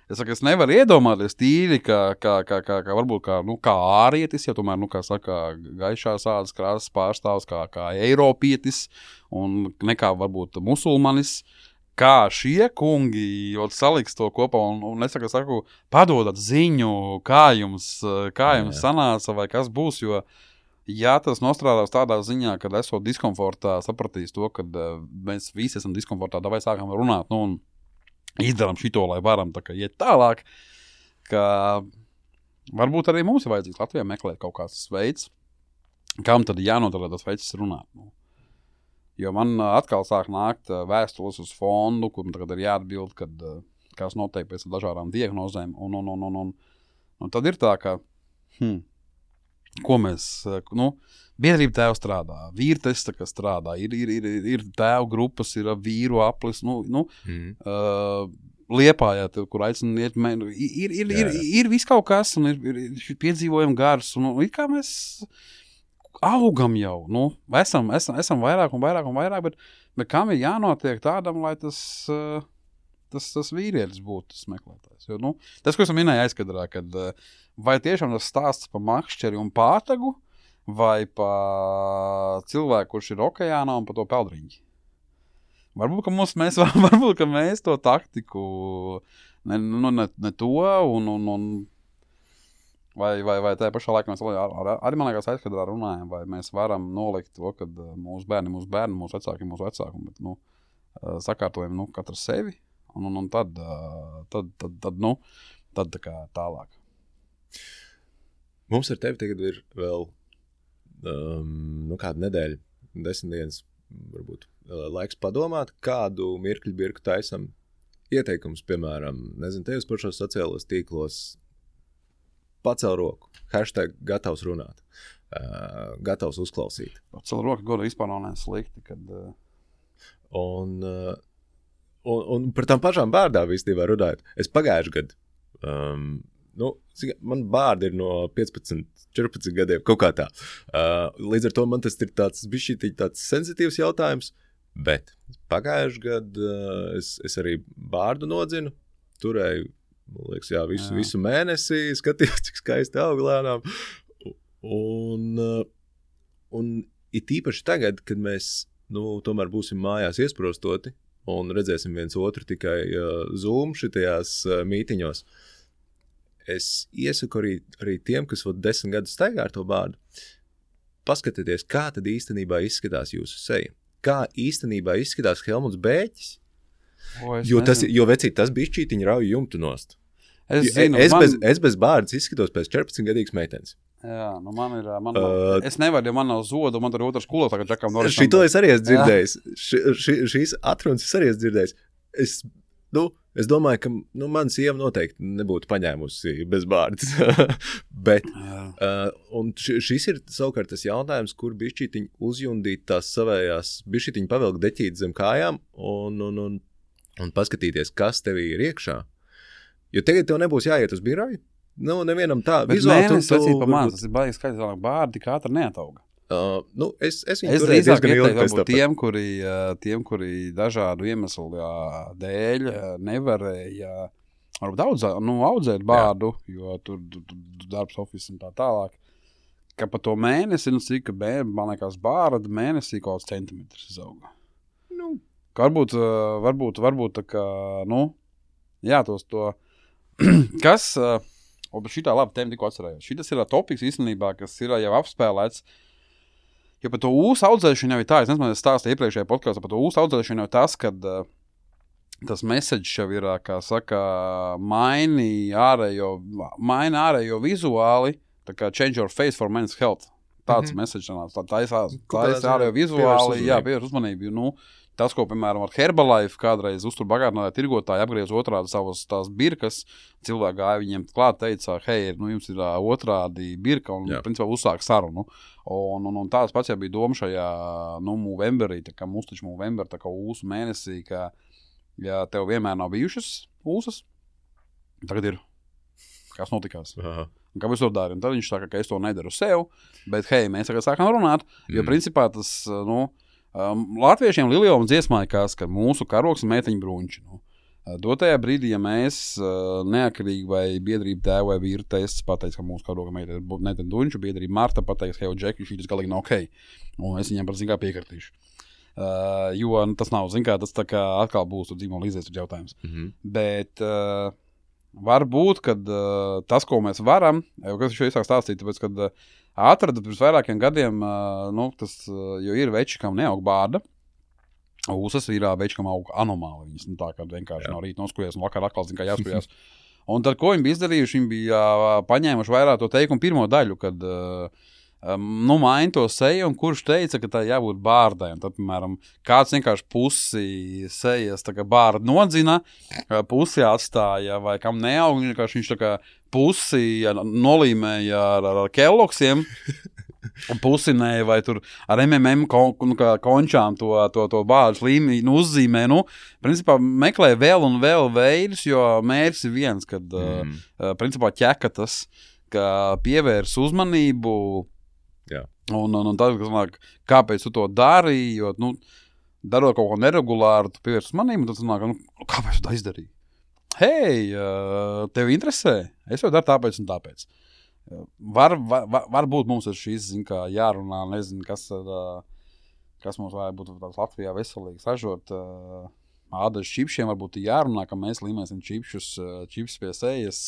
es saku, es nevaru iedomāties tīri, kā, kā, kā, kā, kā varbūt kā, nu, kā ārietis, ja tomēr, nu, kā saka, gaišās ādas krāsas pārstāvs, kā, kā eiropietis, un nekā varbūt musulmanis, kā šie kungi saliks to kopā, un, un es saku, saku, padodat ziņu, kā jums, kā jums sanāca, vai kas būs, jo ja tas nostrādās tādā ziņā, kad esot diskomfortā, sapratīs to, ka uh, mēs visi esam diskomfortā, vai sākam runāt, nu, un izdaram šito, lai varam tā kā iet tālāk, ka varbūt arī mums ir vajadzīgs Latvijā meklēt kaut kāds veids, kam tad jānodara tas veids runāt. Nu. Jo man uh, atkal sāk nākt uh, vēstules uz fondu, kur tagad ir jāatbild, kad uh, kas notiek pēc dažādām diagnozēm, un, un, un, un, un, un tad ir tā, ka, hmm, ko mēs, nu, biedrība tēva strādā, vīrtesta, kas strādā, ir, ir, ir, ir tēvu grupas, ir vīru aplis, nu, nu mm. uh, Liepājā, kur aicina iet, ir, ir, ir, ir, ir viss kaut kas, un ir, ir, ir piedzīvojumi gars, un, un ir kā mēs augam jau, nu, esam, esam, esam vairāk un vairāk un vairāk, bet, bet kam ir jānotiek tādam, lai tas, uh, tas, tas vīrietis būtu tas meklētājs. Jo, nu, tas, ko es minēju aizkadrā, kad uh, vai tiešām tas stāsts par makšķeri un pātagu, vai par cilvēku, kurš ir okeānā un par to peldriņģi. Varbūt, ka, mums, mēs, varbūt, ka mēs to taktiku, ne, nu, ne, ne to, un, un, un vai, vai, vai tajā pašā laikā mēs ar, ar, arī, man liekas, aizkadrā runājam, vai mēs varam nolikt to, ka mūsu bērni, mūsu bērni, mūsu vecāki, mūsu vecāki, bet, nu, sakārtojam, nu, katru sevi, un, un, un tad, tad, tad, tad, nu, tad tā kā tālāk. Mums ar tevi tagad ir vēl um, nu, kāda nedēļa, desmit dienas, varbūt laiks padomāt, kādu mirkļu birku taisam ieteikums, piemēram, nezinu, tevis par šos sociālos tīklos, pacel roku, hashtag gatavs runāt, uh, gatavs uzklausīt. Pacel roku, godu vispār nav neslikti, kad... Uh... Un, uh, un, un par tām pašām bārdām īstenībā runājot. Es pagājuši gadu, um, nu, man bārdi ir no piecpadsmit, četrpadsmit gadiem, kaut kā tā. Uh, līdz ar to man tas ir tāds bišķītīgi tāds sensitīvs jautājums, bet pagājuši gadu uh, es, es arī bārdu nodzinu, turēju, man liekas, jā, visu, jā. visu mēnesi, skatījos, cik skaisti aug lēnām. Un, uh, un it īpaši tagad, kad mēs, nu, tomēr būsim mājās iesprostoti un redzēsim viens otru tikai uh, Zoom šitajās uh, mītiņos, es iesaku arī, arī tiem, kas vēl desmit gadus staigā ar to bārdu, paskatieties, kā tad īstenībā izskatās jūsu seja. Kā īstenībā izskatās Helmuts Bēķis. O, jo, tas, jo vecīt, tas bišķītiņi rauj jumtu nost. Es, zinu, es, man... bez, es bez bārdas izskatos pēc četrpadsmit gadīgas meitenes. Jā, nu man ir, man uh, es nevaru, ja man nav zodu, man tur ir otrs kulo, tagad Džakam Norisam. Šito es arī esmu dzirdējis. Š, š, šīs atrunas es arī esmu dzirdējis. Es nu, es domāju, ka nu, man sieva noteikti nebūtu paņēmusi bez bārdas. Bet, uh, un šis ir savukārt tas jautājums, kur bišķītiņi uzjundīt tās savējās, bišķītiņi pavilkt deķīt zem kājām un, un, un, un paskatīties, kas tevī ir iekšā. Jo tagad tev nebūs jāiet uz biroju. Nu, nevienam tā. Bet mēnesis vecīt pa maz, tas ir baigi skaidrs, ka bārdi katra neatauga. Uh, nu, es, es viņu es turēju diezgan ilgi pēc tam. Tiem, kuri, tiem, kuri dažādu iemeslu dēļ nevarēja varbūt audzē, nu, audzēt bārdu, jā. Jo tur, tur, tur darbs office un tā tālāk, ka pa to mēnesi, nu, cik, man liekas, bārda mēnesī kaut kāds centimetrs izauga. Nu. Ka varbūt, varbūt, varbūt tā kā, nu, jā, tos to, kas, o, šitā labi tēma tikko atcerējos. Šitas ir topiks īstenībā, kas ir jau apspēlēts. Jo par to ūsu audzēšanu jau ir tā, es nezinu, es stāstu iepriekšējā podkāstā, par to ūsu audzēšanu jau ir tas, kad uh, tas message jau ir, kā saka, maini ārējo, maini ārējo vizuāli, tā kā change your face for men's health. Tāds mm-hmm. message nāc, tā, tā, tā, tā ir ārējo vizuāli, jā, pievērš uzmanību. Nu, tas, ko, piemēram, ar Herbalife kādreiz uztur bagātinātāji tirgotāji apgriez otrādi savas tās birkas, cilvēki gāja viņiem klāt, teica, hei, nu, jums ir uh, otrādi birka, un, jā. Principā, uzsāk sarunu. Un, un, un tāds pats jau bija doma šajā, nu, Movemberī, tā kā mums taču Movember, tā kā ūsu mēnesī, ka, ja tev vienmēr nav bijušas ūsas, tagad ir. Kas notikās? Aha. Un kāpēc to dari? Un tad viņš saka, ka es to nedaru sev, bet, hei, mēs tagad sākam runāt, jo, mm. principā, tas, nu, Um, latviešiem Liljoma dziesmā ir kas, ka mūsu karoks ir meiteņu brunči. Nu. Dotajā brīdī, ja mēs uh, neatkarīgi vai biedrība tēva vai vīra tests pateiks, ka mūsu karoga meiteņu brunči, biedrība Marta pateiks, hei, Džeki, šī tas galīgi nav ok. Un es viņiem par zin kā piekartīšu. Uh, jo nu, tas nav, zin kā, tas tā kā atkal būs tur dzīvuma līdzies tur jautājums. Mm-hmm. Bet uh, varbūt, kad uh, tas, ko mēs varam, jau kas šo iesāk stāstīt, tāpēc, kad uh, atrada pirms vairākiem gadiem, uh, nu, tas, uh, jo ir veči, kam neaug bārda, ūsas ir veči, kam aug anomāli. Viņas, nu, tā kā vienkārši jā. No rīta noskujies un vakar atkal, zin kā jāskujās. Un tad, ko viņi bija izdarījuši, viņi bija uh, paņēmuši vairāk to teikumu pirmo daļu, kad, uh, um, nu, maina to seju, un kurš teica, ka tā jābūt bārdai. Un tad, piemēram, kāds vienkārši pusi sejas, tā kā bārda nodzina, pusi atstāja, vai kam neaug, vienkārši viņš tā kā pusi nolīmēja ar, ar, ar kelloksiem, pusinēja vai tur ar M M M kon, nu, končām to, to, to bāžu līmeni nu, uzzīmē. Nu, principā meklē vēl un vēl veidus, jo mērķis ir viens, kad mm. uh, principā ķekatas, ka pievērs uzmanību jā. Un, un, un tad, sanāk, kāpēc tu to dari, jo, nu, darot kaut ko neregulāru, tu pievērs uzmanību, un tad sanāk, nu, kāpēc tu tā izdarīji? Hei, tev interesē? Es jau daru tāpēc un tāpēc. Var, var, var būt mums ar šīs, zin kā, jārunā, nezinu, kas, kas mums vajag būt Latvijā veselīgi sažot. Ādažu čipšiem varbūt jārunā, ka mēs līmēsim čipšus, čips pie sejas,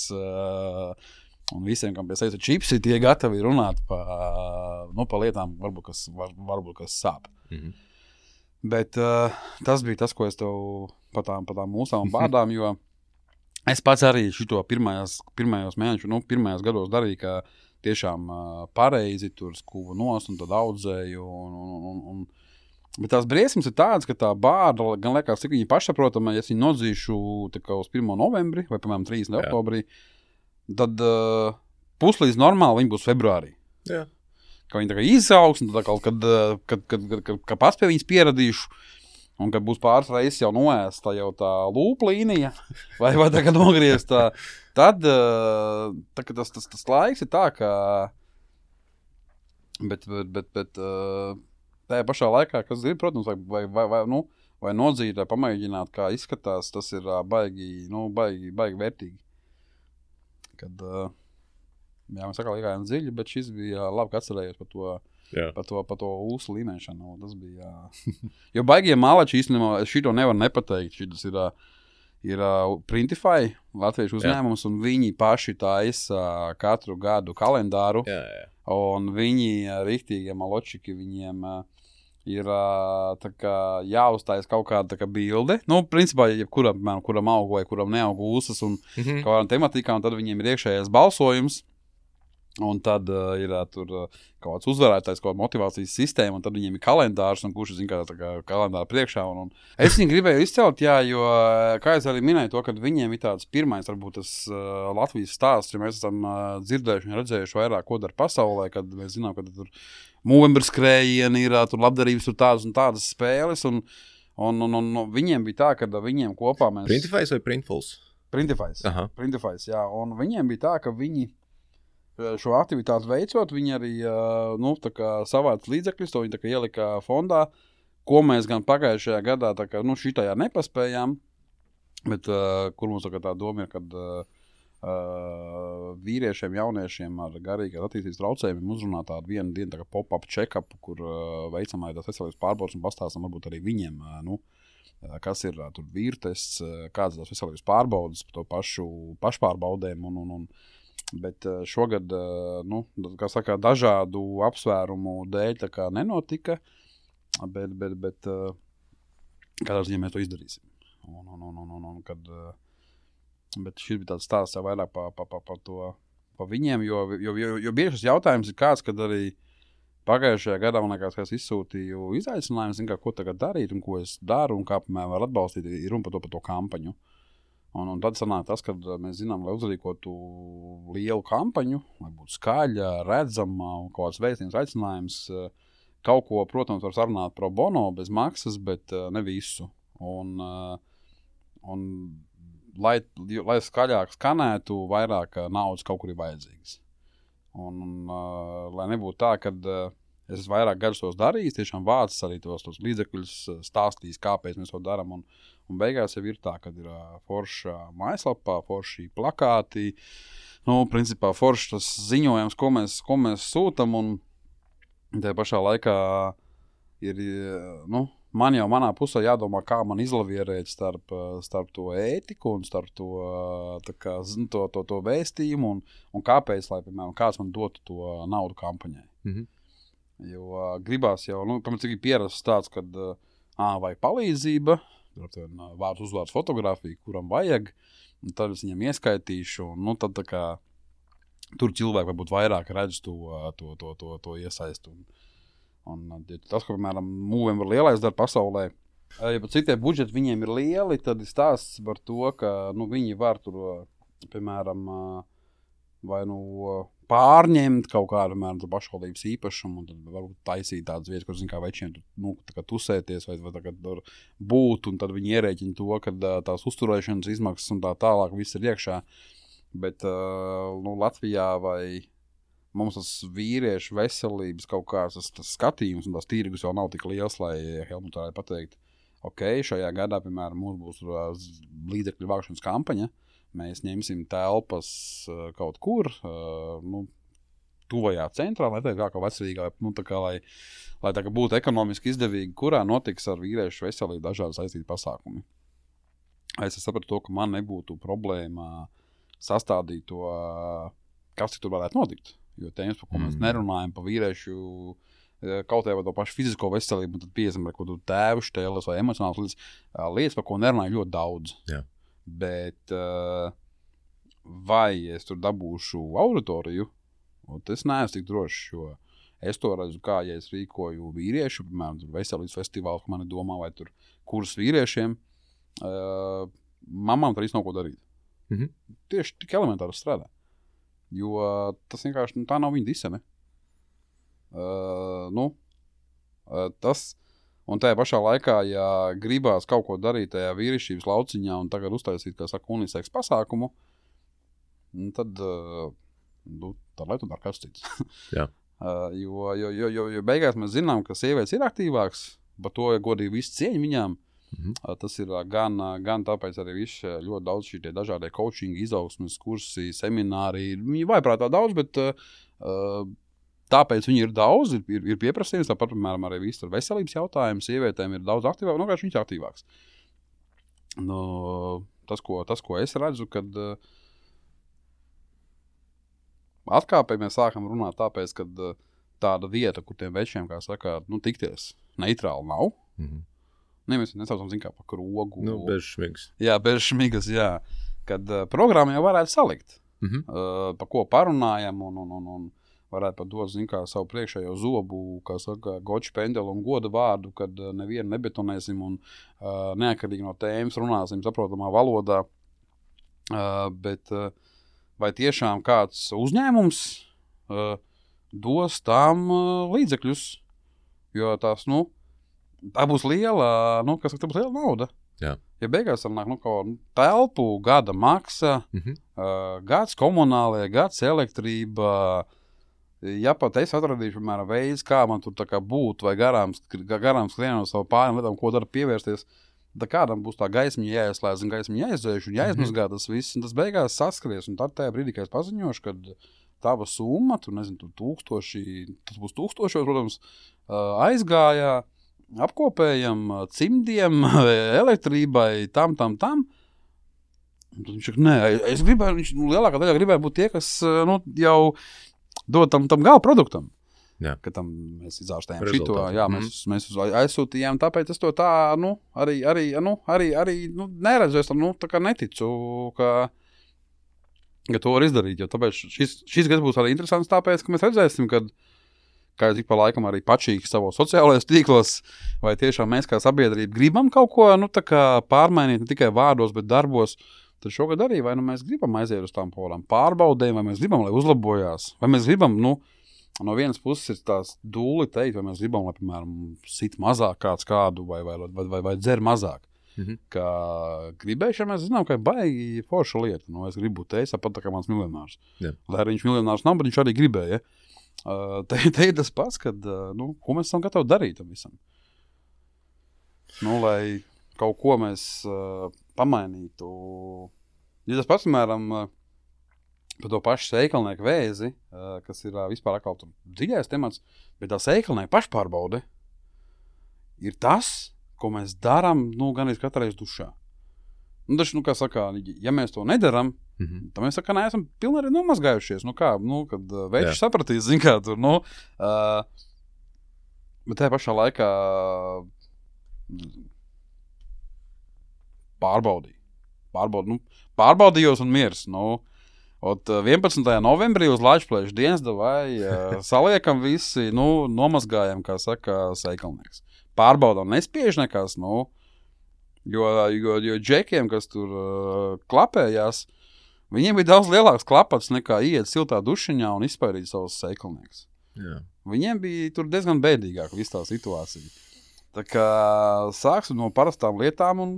un visiem, kam pie sejas ir čipsi, tie gatavi runāt pa, nu, pa lietām, varbūt, kas, var, varbūt, kas sāp. Mm-hmm. Bet uh, tas bija tas, ko es tev pa tām, pa tām mūsām bādām, jo es pats arī šito pirmajās, pirmajos mēnešus, nu, pirmajos gados darīju, ka tiešām uh, pareizi tur skuvu nost un tad audzēju. Un, un, un, un, bet tās briesmas ir tādas, ka tā bārda, gan liekas, cik viņi pašsaprotama, ja es viņu nodzīšu tā kā uz pirmo novembri vai, piemēram, trīsdesmit oktobrī, tad uh, puslīdz normāli viņi būs februārī. Jā. Ka viņi tā kā izaugs, un tad kaut kad, kad, kad, kad, kad, kad pats pie viņas pieradīšu, un kad būs pāris reizes jau noēsta jau tā lūplīnija, vai, vai tā kā nogriezta, tad tā, tas, tas, tas laiks ir tā, ka, bet, bet, bet, bet tajā pašā laikā, kas ir, protams, vai, vai, vai, nu, vai nodzīt, vai pamēģināt, kā izskatās, tas ir baigi, nu, baigi, baigi vērtīgi. Kad, jā, mēs sakā likājām dziļi, bet šis bija labi, ka atcerējos par to, Jā. Par to, par to ūsu līmēšanu. Tas bija, jo baigie malači īstenībā šito nevar nepateikt. Šitas ir, ir Printify, latviešu uzņēmums, jā. Un viņi paši taisa katru gadu kalendāru. Jā, jā. Un viņi, riktīgie maločiki, viņiem ir tā kā jāuztājas kaut kāda tā kā bilde. Nu, principā, jebkuram, kuram aug vai kuram neaug ūsas un mm-hmm. kaut kādām tematikām, un tad viņiem ir iekšējais balsojums. Un tad uh, ir uh, tur uh, kaut kāds uzvarētājs, kaut kāda motivācijas sistēma, un tad viņiem ir kalendārs, un kurš zina, kā tā kā kalendāra priekšā. Un, un es viņu gribēju izcelt, jā, jo, kā es arī minēju to, ka viņiem ir tāds pirmais, varbūt tas uh, Latvijas stāsts, ja mēs esam uh, dzirdējuši un redzējuši vairāk, ko dara pasaulē, kad mēs zinām, ka tur Movember skrējieni ir, tur labdarības, tur tādas un tādas spēles, un, un, un, un, un viņiem bija tā, ka viņiem kopā mēs... Printifys vai Printfuls? Printifys, Printifys, jā, un viņiem bija tā, ka viņi šo aktivitāti veicot, viņi arī nu, savāc līdzekļus, to viņi tā kā ielika fondā, ko mēs gan pagājušajā gadā tā kā, nu, šitajā nepaspējām, bet uh, kur mums tā, tā doma ir, kad uh, vīriešiem, jauniešiem ar garīgās attīstības traucējumiem uzrunā tādu vienu dienu tā kā pop-up check-up, kur uh, veicam arī tās veselības pārbaudas un pastāstam varbūt arī viņiem, uh, nu, kas ir uh, tur vīrtests, uh, kādas tās veselības pārbaudas, to pašu pašpārbaudēm un, un, un bet šogad, nu, kā saka, dažādu apsvērumu dēļ tā kā nenotika, bet, bet, bet kādā ziņā mēs to izdarīsim. Un, un, un, un, un, kad, bet šis bija tāds stāsts jau vairāk pa, pa, pa, pa to, pa viņiem, jo, jo, jo, jo bieži šis jautājums ir kāds, kad arī pagājušajā gadā, man liekas, ka es izsūtīju izaicinājumu, zinu, kā, ko tagad darīt un ko es daru un kā, piemēram, var atbalstīt, ir runa par to, par to kampaņu. Un, un tad sanāk tas, kad mēs zinām, lai uzrīkotu lielu kampaņu, lai būtu skaļa, redzama un kaut kāds vēstījums, aicinājums, kaut ko, protams, var sarunāt pro bono bez maksas, bet ne visu. Un, un lai, lai skaļāk skanētu, vairāk naudas kaut kur ir vajadzīgas. Un, un lai nebūtu tā, kad es esmu vairāk gadus tos darījis, tiešām vācis arī tos, tos līdzekļus, stāstījis, kāpēc mēs to darām. Un, un beigās jau ir tā, kad ir forša mājaslapā, forši plakāti, nu, principā forši tas ziņojums, ko mēs, ko mēs sūtam, un tajā pašā laikā ir, nu, man jau manā pusē jādomā, kā man izlavierēt starp, starp to ētiku un starp to, tā kā, to, to, to vēstījumu, un, un kāpēc, lai, piemēram, kāds man dotu to naudu kampaņai. Mhm. Jo uh, gribās jau, nu, pamēc, cik ir pierasts tāds, kad uh, vajag palīdzība, vārds uzvārds fotografija, kuram vajag, un tad es viņam ieskaitīšu, un nu, tad tā kā tur cilvēki varbūt vairāk redz to, to, to, to, to iesaistu. Un, un tas, ko, piemēram, Movember lielais dara pasaulē, ja pat citie budžeti viņiem ir lieli, tad ir stāsts par to, ka, nu, viņi var tur, piemēram, vai, nu, pārņemt kaut kādu, piemēram, pašvaldības īpašumu, un tad varbūt taisīt tādas vietas, kur, zin, kā večiem, nu, tā kā tusēties, vai, vai tā kā tur būt, un tad viņi ierēķina to, ka tās uzturēšanas izmaksas un tā tālāk viss ir iekšā. Bet, uh, nu, Latvijā vai mums tas vīriešu veselības kaut kāds tas, tas skatījums un tās tīrgus jau nav tik liels, lai Helmut varētu pateikt, ok, šajā gadā, piemēram, mums būs uh, līdzekļu vākšanas kampaņa, mēs ņemsim telpas uh, kaut kur, uh, nu, tuvajā centrā, lai tā kā kā veselīgā, nu, tā kā, lai, lai tā kā būtu ekonomiski izdevīgi, kurā notiks ar vīriešu veselību dažādi saistīti pasākumi. Es sapratu to, ka man nebūtu problēma sastādīt to, kas tur varētu notikt. Jo tēmas, par ko mēs nerunājam, pa vīriešu kaut vai to pašu fizisko veselību, un tad piesim ar kaut kādu tēvu štēles vai emocionāls lietas, lietas, par ko nerunāju ļoti daudz. Jā. Bet vai es tur dabūšu auditoriju, es neesmu tik drošs, jo es to redzu, kā, ja es rīkoju vīriešu, piemēram, veselības festivālu, ka mani domā, vai tur kurs vīriešiem, uh, mamām tur īsti nav ko darīt. Mm-hmm. Tieši tik elementāri strādā. Jo uh, tas vienkārši, nu, tā nav viņa disene. Uh, nu, uh, tas, un tajā pašā laikā, ja gribās kaut ko darīt tajā vīrišķības lauciņā un tagad uztaisīt, kā saka, uniseks pasākumu, tad, uh, nu, tad lai tu dar kāds cits. Jā. Uh, jo, jo, jo, jo, jo beigās mēs zinām, ka sievietes ir aktīvāks, par to ja godīgi visu cieņu viņām. Mm-hmm. Uh, tas ir uh, gan, uh, gan tāpēc arī viss ļoti daudz šī tie dažādie coachingi, izaugsmes kursi, semināri. Viņi vajprātā daudz, bet uh, uh, tāpēc viņi ir daudz, ir, ir, ir pieprasījums. Tāpat, piemēram, arī viss tur veselības jautājums, sievietēm ir daudz aktīvāk, nu, kā viņš ir aktīvāks. Nu, tas, ko, tas, ko es redzu, kad uh, atkāpēji mēs sākam runāt tāpēc, ka uh, tāda vieta, kur tiem večiem, kā saka, nu, tikties neitrāli nav. Mm-hmm. Ne, mēs nesaucam, zin kā, pa krogu. Nu, bez šmigas. Jā, bez šmigas, jā. Kad uh, programmu jau varētu salikt. Mhm. uh, pa ko parunājam un, un, un, un varētu pat dot, zin kā, savu priekšējo zobu, kā saka, goču pendelu un goda vārdu, kad uh, nevienu nebetonēsim un uh, neatkarīgi no tēmas runāsim saprotamā valodā. Uh, bet uh, vai tiešām kāds uzņēmums uh, dos tām uh, līdzekļus? Jo tās, nu, tā būs liela, nu, kas saka, tā būs liela nauda. Jā. Ja beigās tam nāk, nu, kaut telpu, gada maksa, Mhm. uh, gads komunālajā, gads elektrība. Ja pat es atradīšu, piemēram, veids, kā man tur tā kā būt, vai garām, garām skrienot savu pārējām lietām, ko dara pievērsties, tad kādam būs tā gaismiņa jāieslēdz un gaismiņa jāizdzēš un jāizmazgā tas viss, un tas beigās saskries. Un tad tajā brīdī, kad es paziņošu, kad tava summa, tu nezinu, tu tūkstoši, tas būs tūkstošos, protams, uh, aizgājā, apkopējam cimdiem, elektrībai, tam, tam, tam. Un tad viņš saka, nē, es gribēju, viņš lielākā daļā gribēja būt tie, kas nu, jau dod tam, tam gala produktam. Jā. Ka tam mēs izārstējām Rezultātu. šito, jā, mēs, mm. mēs uz aizsūtījām, tāpēc es to tā, nu, arī, arī, nu, arī, arī nu, neredzu, es tam, nu, tā kā neticu, ka, ka to var izdarīt, jo tāpēc šis, šis gads būs arī interesants tāpēc, ka mēs redzēsim, kad kā es ik pa laikam arī pačīgi savos sociālajos tīklos, vai tiešām mēs kā sabiedrība gribam kaut ko, nu, tā kā pārmainīt ne tikai vārdos, bet darbos, tad šogad arī, vai nu mēs gribam aiziet uz tām polām pārbaudēm, vai mēs gribam, lai uzlabojās, vai mēs gribam, nu, no vienas puses ir tās dūli teikt, vai mēs gribam, lai, piemēram, sit mazāk kāds kādu, vai, vai, vai, vai, vai dzer mazāk. Mhm. Kā gribēšana, mēs zinām, ka ir baigi forša lieta, nu, es gribu būt es, pat tā kā mans miljonārs. Jā. Lai arī viņš miljonārs nav, bet viņš arī gribēja, ja? Uh, te, te ir tas pats, kad, uh, nu, ko mēs esam gatavi darīt tam visam. Nu, lai kaut ko mēs uh, pamainītu. Ja tas pats, piemēram, uh, par to pašu seikalnieku vēzi, uh, kas ir uh, vispār atkal tur dziļais temats, bet tā seikalnieku pašpārbaude ir tas, ko mēs darām, nu, gan arī katru reizi dušā. Nu, taču, nu, kā saka, ja mēs to nedaram, mm-hmm. tad mēs saka, neesam pilnīgi arī nomazgājušies. Nu, kā, nu, kad uh, veids sapratīs, zin kā tur, nu, uh, bet tajā pašā laikā pārbaudīju. Pārbaud, nu, pārbaudījos un miers, nu, ot vienpadsmitajā novembrī uz Lačplēšu dienas vai uh, saliekam visi, nu, nomazgājam, kā saka, seikalnieks. Pārbaudām, nespiež nekas, nu, Jo, jo, jo džekiem, kas tur uh, klapējās, viņiem bija daudz lielāks klapats nekā iet siltā dušiņā un izpairīt savus seikalniekus. Jā. Viņiem bija tur diezgan bēdīgāk viss tā situācija. Tā kā sāksim no parastām lietām un,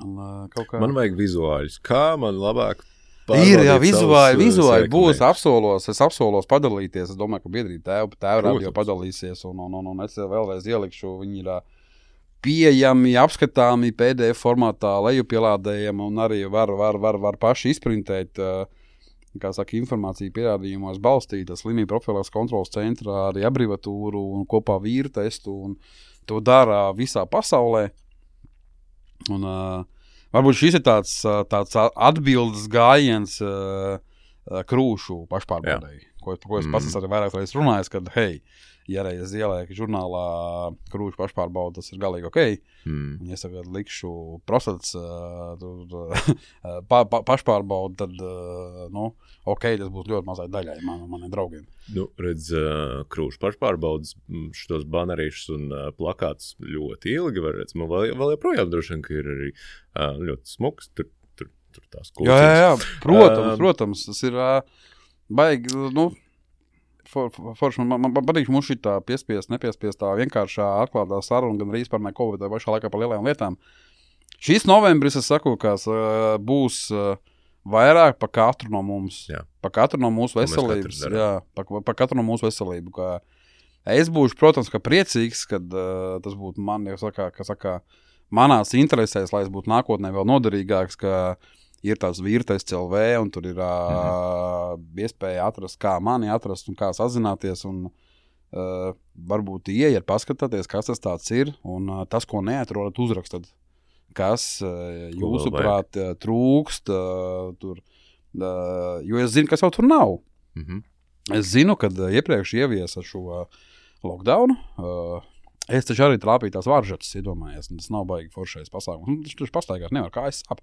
un uh, kaut kā... Man vajag vizuāļus. Kā man labāk ir, jā, vizuāļi, vizuāļi būs, apsolos, es apsolos padalīties. Es domāju, ka biedrība tēva, tēva radio padalīsies un, un, un, un es vēlreiz ielikšu, viņi ir... pieejami, apskatāmi P D F formātā, lejupielādējami un arī var, var, var, var paši izprintēt, kā saka, informāciju pierādījumos balstīta slimību profilaks kontrolas centrā, arī abrivatūru un kopā vīru testu, un to dara visā pasaulē. Un uh, varbūt šis ir tāds, tāds atbildes gājiens uh, krūšu pašpārbaudēji, ko, ko es pats mm. arī vairāk reiz runājis, kad, hei, ja reiz ielēku žurnālā krūšu pašpārbauda, tas ir galīgi ok. Mm. Un, ja tagad likšu prostats uh, pa, pa, pašpārbaudu, tad, uh, nu, ok, tas būs ļoti mazai daļai man, maniem draugiem. Nu, redz, uh, krūšu pašpārbaudas šitos banerīšus un uh, plakātus ļoti ilgi var redzēt. Man vēl, vēl joprojām droši vien, ka ir arī uh, ļoti smuks, tur, tur, tur tās kulcības. Jā, jā, jā, protams, uh, protams, tas ir uh, baigi, nu, For, for, for, man, man patīk mums šī tā piespiest, nepiespiest tā vienkāršā atklātā saruna, gan arī par neko, bet tā pašā laikā par lielajām lietām. Šīs novembris, es saku, kas uh, būs uh, vairāk pa katru no mums, jā. Pa katru no mūsu veselības, jā, pa, pa katru no mūsu veselību. Kā es būšu, protams, ka priecīgs, kad uh, tas būtu man, ja saka, ka saka, manās interesēs, lai es būtu nākotnē vēl noderīgāks, ka ir tās vīrtests L V, un tur ir uh, iespēja atrast, kā mani atrast un kā sazināties, un uh, varbūt ieiet, paskatāties, kas tas tāds ir, un uh, tas, ko neatrodat, uzrakstat. Kas uh, jūsuprāt uh, trūkst, uh, tur, uh, jo es zinu, kas jau tur nav. Mm-hmm. Es zinu, kad uh, iepriekš ieviesa šo uh, lockdownu, uh, Es taču arī trāpīju tās varžatas, iedomājies, un tas nav baigi foršais pasākums. Viņš taču pastaigās nevar, kā es sap.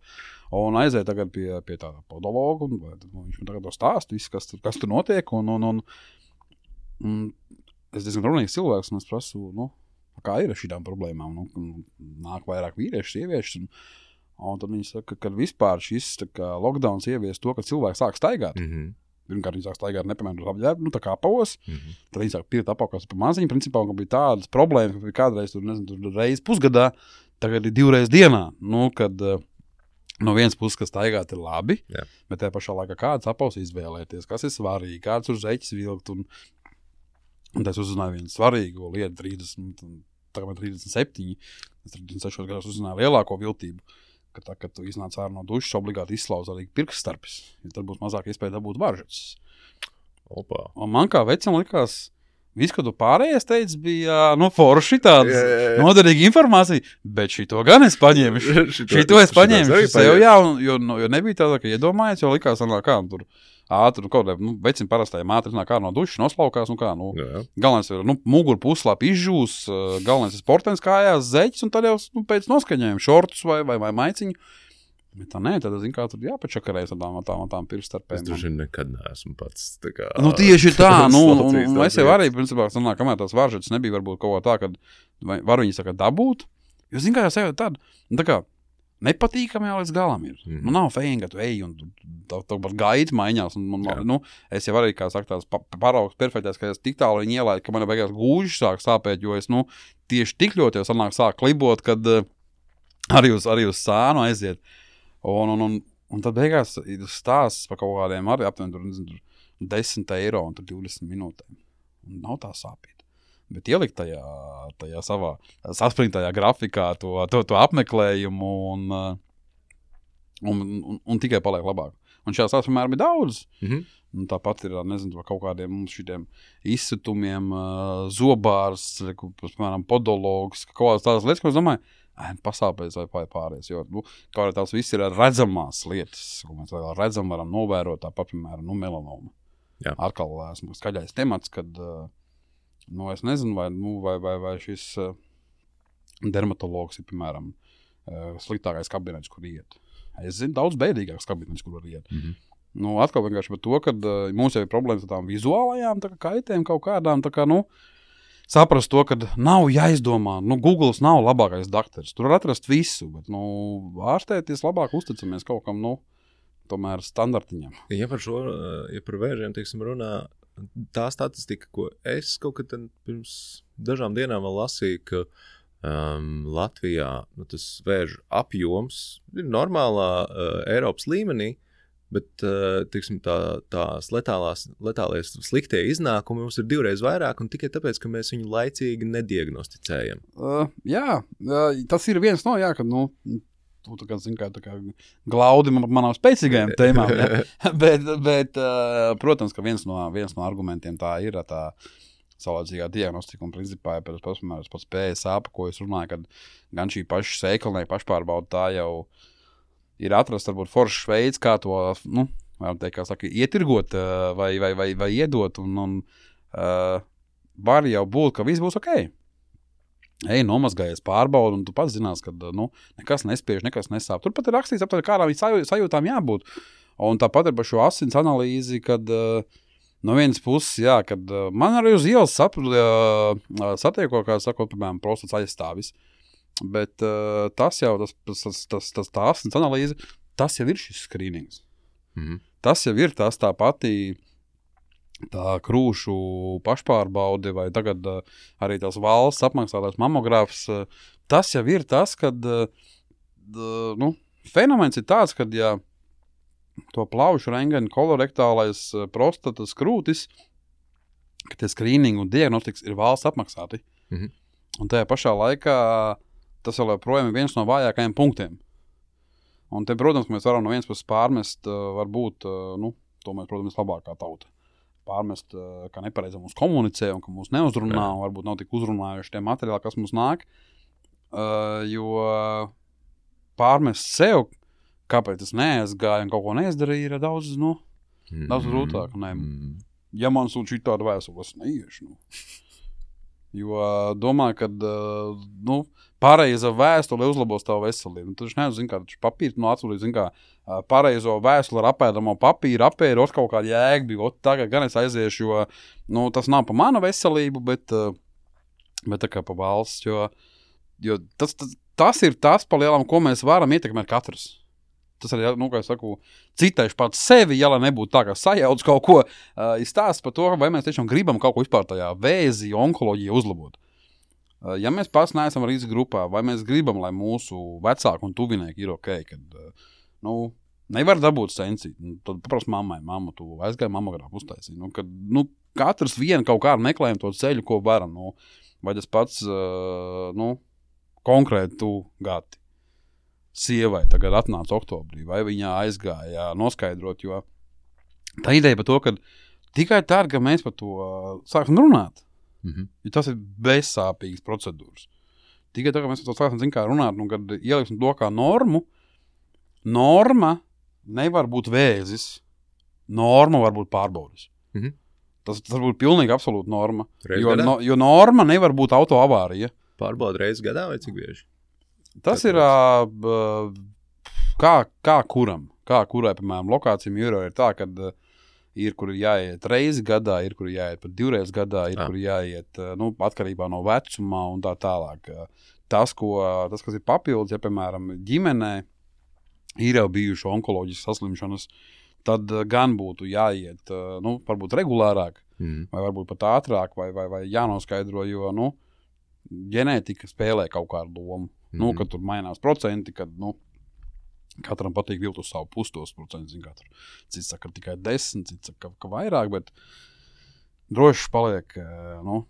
Un aiziet tagad pie, pie tāda podologa, un nu, viņš man tagad to stāst, viss, kas, kas tur notiek, un, un, un, un es diezgan runīgs cilvēks, un es prasu, nu, kā ir ar šīm problēmām, nu, nāk vairāk vīrieši, sievieši, un, un tad viņi saka, ka vispār šis tā kā lockdowns ievies to, ka cilvēks sāk staigāt. Mm-hmm. Pirmkārt, viņi sāk staigāt nepiemēram apģērbu, nu tā kā apavos, mm-hmm. tad viņi sāk pirkt apavos pa maziņu, principā, ka bija tādas problēmas, ka bija kādreiz tur, nezinu, tur reizi pusgadā, tagad ir divreiz dienā, nu, kad uh, no vienas puses, kas staigāt ir labi, Jā. Bet tajā pašā laikā kāds apavs izvēlēties, kas ir svarīgi, kāds uz zeķis vilkt, un, un tas uzzināja vienu svarīgo lietu, trīsdesmit, tagad trīsdesmit septiņi, es trīsdesmit sešos gados uzzināju lielāko viltību, ka tā, kad tu iznāc ārā no dušas, obligāti izslauz arī pirkstarpis, ja tad būs mazāk iespēja dabūt varžatas. Opa. Un man kā vecam likās, viss, ko tu pārējais teici, bija, nu, forši tādas Jā, jā, jā. noderīga informācija, bet šito gan es paņēmu. Šito- Šito es paņēmu šitos arī sev, paņēmu. jā, un, jo, no, jo nebija tāda, ka iedomājies, jo likās, anā, kā, nu, tur ātri, nu, kaut kā, nu, vecim parastajiem ātri nāk ārā no dušas, noslaukās, nu, kā, nu, Jā. galvenais ir, nu, muguru puslāpi izžūs, uh, galvenais ir sportens kājās, zeķis, un tad jau, nu, pēc noskaņojuma šortus vai, vai, vai maiciņu. Bet tā nē, tad, zin kā, tur jāpačakarēs ar tām, tām, tām Es pirkstarpēm. droši vien nekad neesmu pats tā kā... Nu, tieši tā, nu, un, slaucījis un tās es jau lietas. arī, principā, sanāk, kamēr tās varžatas nebija varbūt kaut kā tā, kad vai, var viņi saka dabūt, jo, zin kā, jau sev tāda, nu, tā kā, nepatīkami jau līdz galam ir. Mhm. Nu, nav fēni, ka tu ej un tā, tā pat gaita maiņās, un, un, Jā. nu, es jau arī, kā saka, tās pa, paraugs perfektais, ka es tik tālu viņi ielaidu, ka man beigās gūži sāk sāpēt, jo es, nu, tieši tik ļoti jau sanāk sāk klibot, kad uh, arī uz, arī uz sānu aiziet. Un, un, un, un tad beigās ir stāsts par kaut kādiem arī aptuveni tur, nezinu, tur desmit eiro un tur divdesmit minūtēm. Un nav tā sāpīt. Bet ielikt tajā, tajā savā saspringtajā grafikā to, to, to apmeklējumu un, un, un, un tikai paliek labāk. Un šās tās, piemēram, ir daudz. Mhm. Un tāpat ir, nezinu, kaut kādiem mums šitiem izsitumiem, uh, zobārs, reku, piemēram, podologs, kaut kādas tādas lietas, ko es domāju, ē, pasāpēs vai pārējais, jo, nu, kaut arī tās viss ir redzamās lietas, ko mēs vēl redzam, varam novērot, tāpat, piemēram, nu, melanoma. Jā. Atkal esmu skaļais temats, kad, uh, nu, es nezinu, vai, nu, vai, vai, vai šis uh, dermatologs ir, piemēram, uh, sliktākais kabinets, kur iet. Es zinu, daudz bēdīgāks kabinets, kur var iet. Mhm. Nu, atkal vienkārši par to, ka uh, mums jau ir problēmas ar tām vizuālajām tā kā kaitēm kaut kādām, tā kā, nu, saprast to, ka nav jāizdomā, nu, Googles nav labākais daktars, tur var atrast visu, bet, nu, ārstēties labāk uzticamies kaut kam, nu, tomēr standartiņam. Ja par šo, ja par vēžiem, teiksim, runā, tā statistika, ko es kaut kad pirms dažām dienām vēl lasīju, ka um, Latvijā nu, tas vēžu apjoms ir normālā uh, Eiropas līmenī, bet, uh, teiksim, tā, tās letālās, letālais sliktie iznākumi mums ir divreiz vairāk, un tikai tāpēc, ka mēs viņu laicīgi nediagnosticējam. Uh, jā, uh, tas ir viens no, jā, kad, nu, tu tā kā, zin, kā, tā kā glaudi man, manām spēcīgajām tēmām, ja? bet, bet uh, protams, ka viens no, viens no argumentiem tā ir tā saulēcīgā diagnostika, un principā, ja pēc pats P S A, pa ko es runāju, kad gan šī paša sēkalnieka pašpārbauda tā jau ir atrast, varbūt, foršs veids, kā to, nu, varam teikt, kā saka, ietirgot uh, vai, vai, vai, vai iedot, un, un uh, var jau būt, ka viss būs ok. Ej, nomazgājies, pārbaudi, un tu pats zinās, ka, nu, nekas nespiež, nekas nesāp. Tur pat ir rakstīts, aptver, kādām sajū, sajūtām jābūt. Un tāpat ir par šo asins analīzi, kad uh, no vienas puses, jā, kad uh, man arī uz ielas sap, uh, satieko, kā sakot, piemēram, prostats aizstāvis. Bet uh, tas jau, tas, tas, tas, tas tā asins analīze, tas jau ir šis skrīnings. Mhm. Tas jau ir tas tā pati tā krūšu pašpārbaude vai tagad uh, arī tās valsts apmaksātais mamogrāfs. Uh, tas jau ir tas, kad uh, uh, nu, fenomens ir tāds, kad ja to plaušu rengeni kolorektālais uh, prostatas krūtis, ka tie skrīningi un diagnostikas ir valsts apmaksāti. Mhm. Un tajā pašā laikā tas vēl joprojām ir viens no vājākajiem punktiem. Un te, protams, mēs varam no vienas puses pārmest, uh, varbūt, uh, nu, to mēs, protams, labākā tauta. Pārmest, uh, ka nepareizi mums komunicē un ka mūs neuzrunā, Jā. un varbūt nav tik uzrunājuši tie materiāli, kas mums nāk. Uh, jo pārmest sev, kāpēc es neaizgāju un kaut ko neizdarīju, ir daudz, nu, daudz grūtāk. Ne? Mm. Ja man sūta šī tāda vēstule, es neiešu. Nu. Jo domāju, ka uh, nu, pareiza vēstule uzlabos tavu veselību. Tu taču nezinu, kā taču papīrs no atsūtīt, zin kā uh, pareizo vēstuli ar apēdamo papīru, apēdu, ot kaut kāda jēga bija, ot tagad gan es aiziešu, jo nu, tas nav pa manu veselību, bet, uh, bet tā kā pa valsts, jo, jo tas, tas, tas ir tas pa lielam, ko mēs varam ietekmēt katrs. Tas arī, nu, kā es saku, citēšu pats sevi, ja lai nebūtu tā, kā sajauc kaut ko, uh, izstāst par to, vai mēs tiešām gribam kaut ko vispār tajā vēzi, onkoloģija uzlabot. Uh, ja mēs pats neesam riska grupā, vai mēs gribam, lai mūsu vecāki un tuvinieki ir ok, kad, uh, nu, nevar dabūt sensīt, nu, tad paprast mammai, mamma, tu aizgāji mammogrāfu uztaisīt, nu, kad, nu, katrs vien kaut kā meklējam to ceļu, ko varam, nu, vai tas pats, uh, nu, konkrēti tu gati. Sievai tagad atnāca oktobrī, vai viņa aizgāja noskaidrot, jo tā ideja par to, ka tikai tā, ka mēs par to uh, sākam runāt, mm-hmm. jo tas ir bezsāpīgas procedūras. Tikai tā, ka mēs par to sākam zin kā runāt, nu, kad ieliksim to kā normu, norma nevar būt vēzis, norma var būt pārbaudas. Mm-hmm. Tas, tas var būt pilnīgi absolūti norma, jo, no, jo norma nevar būt auto avārija. Pārbauda reizes gadā vai cik bieži? Tas ir uh, kā, kā kuram, kā kurai, piemēram, lokācijām jūro ir tā, ka uh, ir, kur ir jāiet reizi gadā, ir, kur ir jāiet pat divreiz gadā, ir, ah. kur ir jāiet, uh, nu, atkarībā no vecumā un tā tālāk. Uh, tas, ko, uh, tas, kas ir papildus, ja, piemēram, ģimenē ir jau bijuši onkoloģiskas saslimšanas, tad uh, gan būtu jāiet, uh, nu, varbūt regulārāk, mm. vai varbūt pat ātrāk, vai, vai, vai jānoskaidro, jo, nu, ģenētika spēlē kaut kādu lomu. Mm-hmm. Nu, kad tur mainās procenti, kad, nu, katram patīk vilkt uz savu pustos procentu, zin kā tur. Cits saka tikai desmit, cits saka, ka vairāk, bet droši paliek, nu,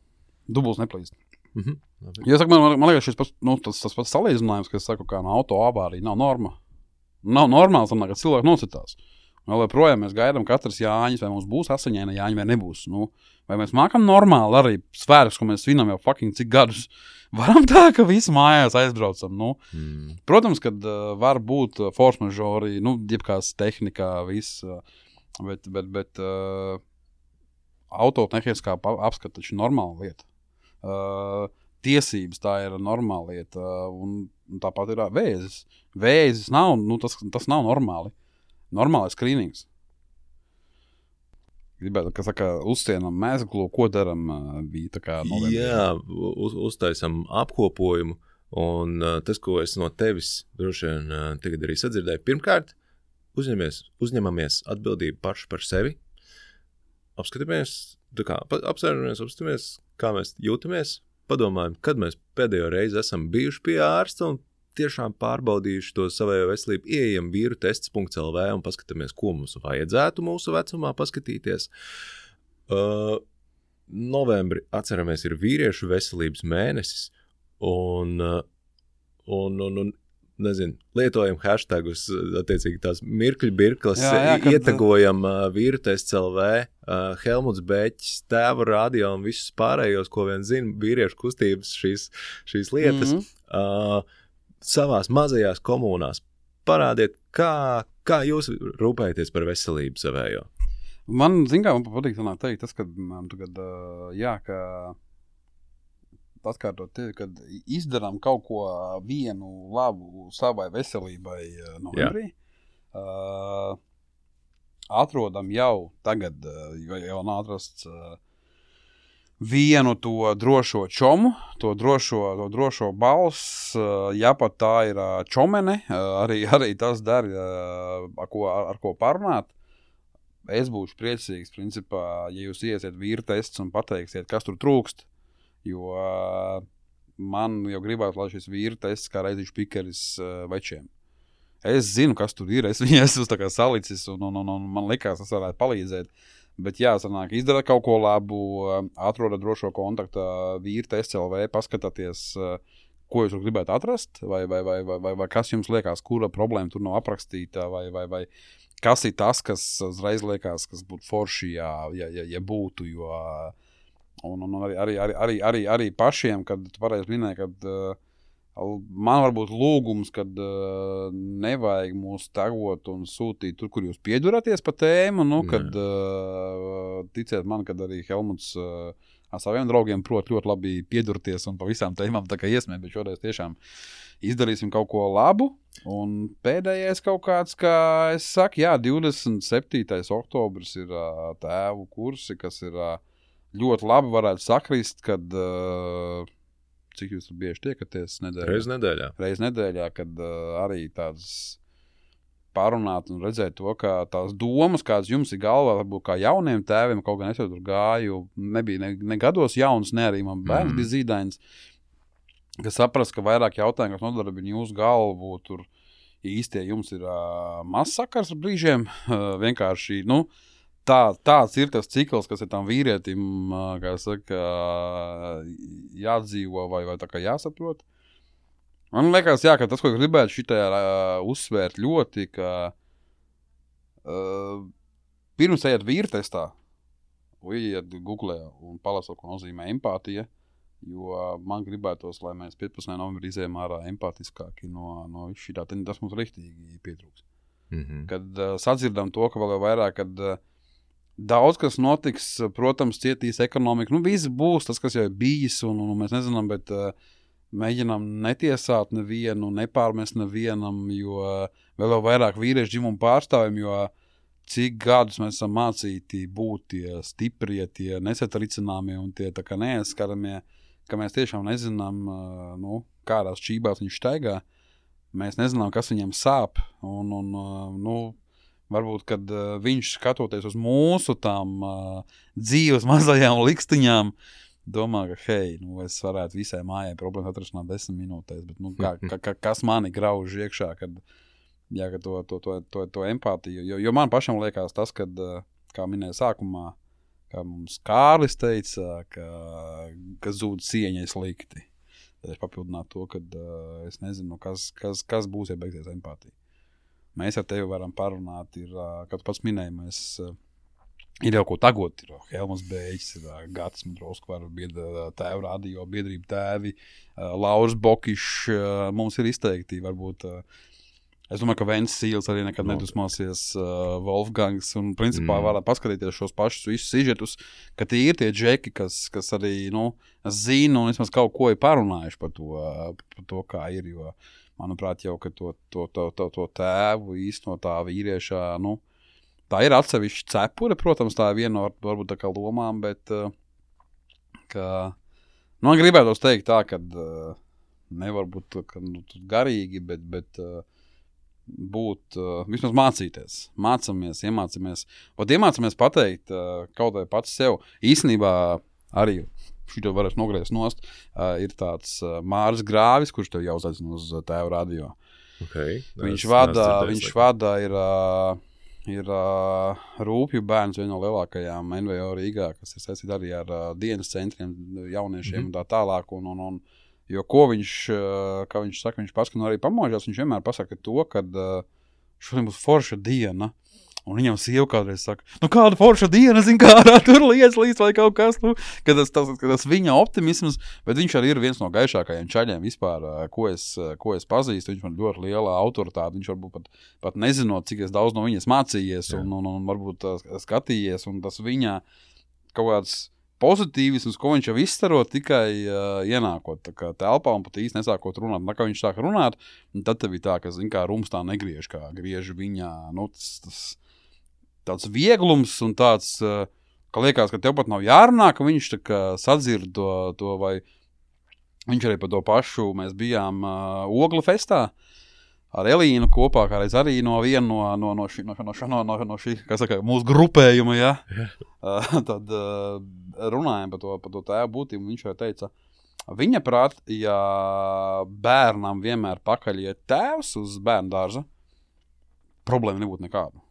dubults neplīst. Mm-hmm. Ja saka, man, man liekas, šis pats, nu, tas, tas pats salīdzinājums, ka es saku, kā no auto avārija, nav norma. Nav normāls, ka cilvēki nocitās. Vēl projām mēs gaidām katrs Jāņas, vai mums būs asaņēna Jāņa vai nebūs. Nu, vai mēs mākam normāli arī svētkus, ko mēs svinam jau fucking cik gadus. Varam tā, ka visi mājās aizbraucam. Nu. Mm. Protams, kad uh, var būt force majeure, nu, jebkās tehnikā, viss, uh, bet, bet, bet uh, autotehniskā apskata taču normāla lieta. Uh, tiesības tā ir normāla lieta, uh, un, un tāpat ir uh, vēzis. Vēzis nav, nu, tas, tas nav normāli. Normālais skrīnings. Gribētu, ka saka, uzcienam mēsglu, ko daram, bija tā kā novembrī. Jā, uz, uztaisam apkopojumu, un uh, tas, ko es no tevis droši vien uh, tagad arī sadzirdēju, pirmkārt, uzņemamies, uzņemamies atbildību paši par sevi, apskatāmies, tā kā, apsēžamies, apskatāmies, kā mēs jūtamies, padomājam, kad mēs pēdējo reizi esam bijuši pie ārsta un tiešām pārbaudījuši to savējo veselību, ieejam vīru tests punkts el vē un paskatāmies, ko mums vajadzētu mūsu vecumā paskatīties. Uh, novembri, atceramies, ir vīriešu veselības mēnesis, un, uh, un, un, un nezinu, lietojam hashtagus, attiecīgi tās mirkļu birklas, jā, jā, kad... ietagojam uh, vīru tests el vē, uh, Helmuts Beķis, Tēva radio un visus pārējos, ko vien zina vīriešu kustības šīs, šīs lietas. Mm-hmm. Uh, savās mazajās komunās parādiet, kā, kā jūs rūpējaties par veselību savējo. Man, zin kā, man patīk sanāk teikt, tas, kad man tagad, uh, jā, ka atkārtot tevi, kad izdarām kaut ko vienu labu savai veselībai uh, novembrī, uh, atrodam jau tagad, uh, jo jau nav atrasts uh, vienu to drošo čomu, to drošo, to drošo balss, ja pat tā ir čomene, arī, arī tas dara, ar ko, ar ko parunāt. Es būšu priecīgs, principā, ja jūs iesiet vīru tests un pateiksiet, kas tur trūkst, jo man jau gribētu, lai šis vīru tests kā reizīšu pikeris večiem. Es zinu, kas tur ir, es viņu esmu tā kā salicis un, un, un, un man likās, tas varētu palīdzēt. Bet jā, sanāk, izdara kaut ko labu, atroda drošo kontaktu vīru tests el vē, paskatāties, ko jūs gribētu atrast, vai, vai, vai, vai, vai, vai kas jums liekas, kura problēma tur nav aprakstīta, vai, vai, vai kas ir tas, kas uzreiz liekas, kas būtu forši, ja, ja, ja, ja būtu, jo un, un arī, arī, arī, arī, arī, arī pašiem, kad tu pareizi minēji, kad man varbūt lūgums, kad uh, nevajag mūs tagot un sūtīt tur, kur jūs pieduraties pa tēmu, nu, kad uh, ticiet man, kad arī Helmuts uh, ar saviem draugiem prot ļoti labi piedurties un pa visām tēmām tā kā iesmēt, bet šoreiz tiešām izdarīsim kaut ko labu. Un pēdējais kaut kāds, kā es saku, jā, divdesmit septītais oktobris ir uh, tēvu kursi, kas ir uh, ļoti labi varētu sakrist, kad, uh, cik jūs tur bieži tiekaties nedēļā? Reiz nedēļā. Reiz nedēļā, kad uh, arī tāds parunāt un redzēt to, ka tās domas, kādas jums ir galvā, varbūt kā jauniem tēviem, kaut gan es jau tur gāju, nebija ne, ne gados jauns, ne arī man bērns mm. bija zīdains, ka saprast, ka vairāk jautājumu, kas nodarbina jūsu galvu, tur īstie jums ir uh, maz sakars ar brīžiem, uh, vienkārši, nu, tā, tāds ir tas cikls, kas ir tam vīrietim, uh, kā saka, uh, jādzīvo vai, vai tā kā jāsaprot. Man liekas, jā, ka tas, ko gribētu šitajā uh, uzsvērt ļoti, ka uh, pirms ejiet vīrtestā, ieiet Googlē un palasot, ko nozīmē empātija, jo uh, man gribētos, lai mēs piecpadsmitajā novembrī izējām ārā empātiskāki no, no šitā, tas mums riktīgi pietrūks. Mm-hmm. Kad uh, sadzirdam to, ka vēl jau vairāk, kad uh, daudz kas notiks, protams, cietīs ekonomika, nu viss būs tas, kas jau ir bijis, un, un mēs nezinām, bet uh, mēģinām netiesāt nevienu, nepārmest nevienam, jo vēl jau vairāk vīriešu dzimumu pārstāvjiem, jo cik gadus mēs esam mācīti būt tie stiprie, tie nesatricināmie un tie tā kā neaizskaramie, ka mēs tiešām nezinām, nu, kādās čībās viņš staigā. Mēs nezinām, kas viņam sāp, un, un nu, varbūt, kad viņš skatoties uz mūsu tām dzīves mazajām likstiņām, domā, ka, hei, nu, es varētu visai mājai problēmu atrašanāt desmit minūtēs, bet, nu, kā, ka, kas mani grauž iekšā, kad, jā, ka to, to, to, to, to empātiju, jo, jo man pašam liekas tas, kad, kā minēja sākumā, kā mums Kārlis teica, ka, ka zūd cieņai slikti. Tad es papildinātu to, kad uh, es nezinu, kas, kas, kas būs, ja beigsies empātija. Mēs ar tevi varam parunāt, ir, uh, kad pats minēja, mēs... Uh, Ir jau ko tagot, ir Helmas Bēģis, ir Gatis Mudrovskvar, tēvu radio, biedrība tēvi, Lauris Bokišs, mums ir izteikti, varbūt, es domāju, ka Vents Sīls arī nekad nedusmosies, Wolfgangs, un principā mm. varat paskatīties šos pašus visus sižetus, ka tie ir tie džeki, kas, kas arī, nu, zina un vismaz kaut ko ir parunājuši par to, par to kā ir, jo, manuprāt, jau, ka to, to, to, to, to tēvu īsti no tā vīriešā, nu, tā ir atsevišķa cepure, protams, tā ir viena no varbūt tā kā lomām, bet uh, ka, nu, man gribētos teikt tā, ka uh, nevar būt ka, nu, garīgi, bet, bet uh, būt, uh, vismaz mācīties, mācamies, iemācamies, ot iemācamies pateikt uh, kaut vai pats sev. Īstenībā arī šito varēs nogriezt nost, uh, ir tāds uh, Māris Grāvis, kurš tev jau uzaicina uz tēvu radio. Okay, viņš vada, viņš vada ir... Uh, ir uh, Rūpju bērns, viena no lielākajām N V O Rīgā, kas ir saistīta arī ar uh, dienas centriem jauniešiem mm-hmm. un tā tālāk. Un, un, un, jo ko viņš, uh, kā viņš saka, viņš pats, ka nu arī pamožās, viņš vienmēr pasaka to, ka uh, šodien būs forša diena. Un viņam sieva kādreiz saka, nu kāda forša diena, zin kādā tur liec līdz vai kaut kas, nu, kad tas, tas, tas viņa optimisms, bet viņš arī ir viens no gaišākajiem čaļiem vispār, ko es, ko es pazīstu, viņš man ļoti liela autoritāte, viņš varbūt pat, pat nezinot, cik es daudz no viņas mācījies un, un, un varbūt skatījies, un tas viņa kaut kāds pozitīvisms, ko viņš jau izstaro tikai uh, ienākot tā kā telpā un pat īsti nesākot runāt. Un kā viņš sāk runāt, un tad tev ir tā, ka, zin kā, rums tā negriež, kā griež viņa, nu, tas, tas tāds vieglums un tāds, uh, ka liekas, ka tev pat nav jārunā, ka viņš tā kā sadzird to, to vai viņš arī par to pašu, mēs bijām uh, Ogla festā ar Elīnu kopā, kā reiz arī no viena no, no, no, šī, no, no, no, no, no šī, kā saka, mūsu grupējuma, ja? uh, tad uh, runājam par to, par to tēvu būtību, un viņš jau teica, viņa prāt, ja bērnam vienmēr pakaļ iet tēvs uz bērnu dārza, problēma nebūtu nekāda.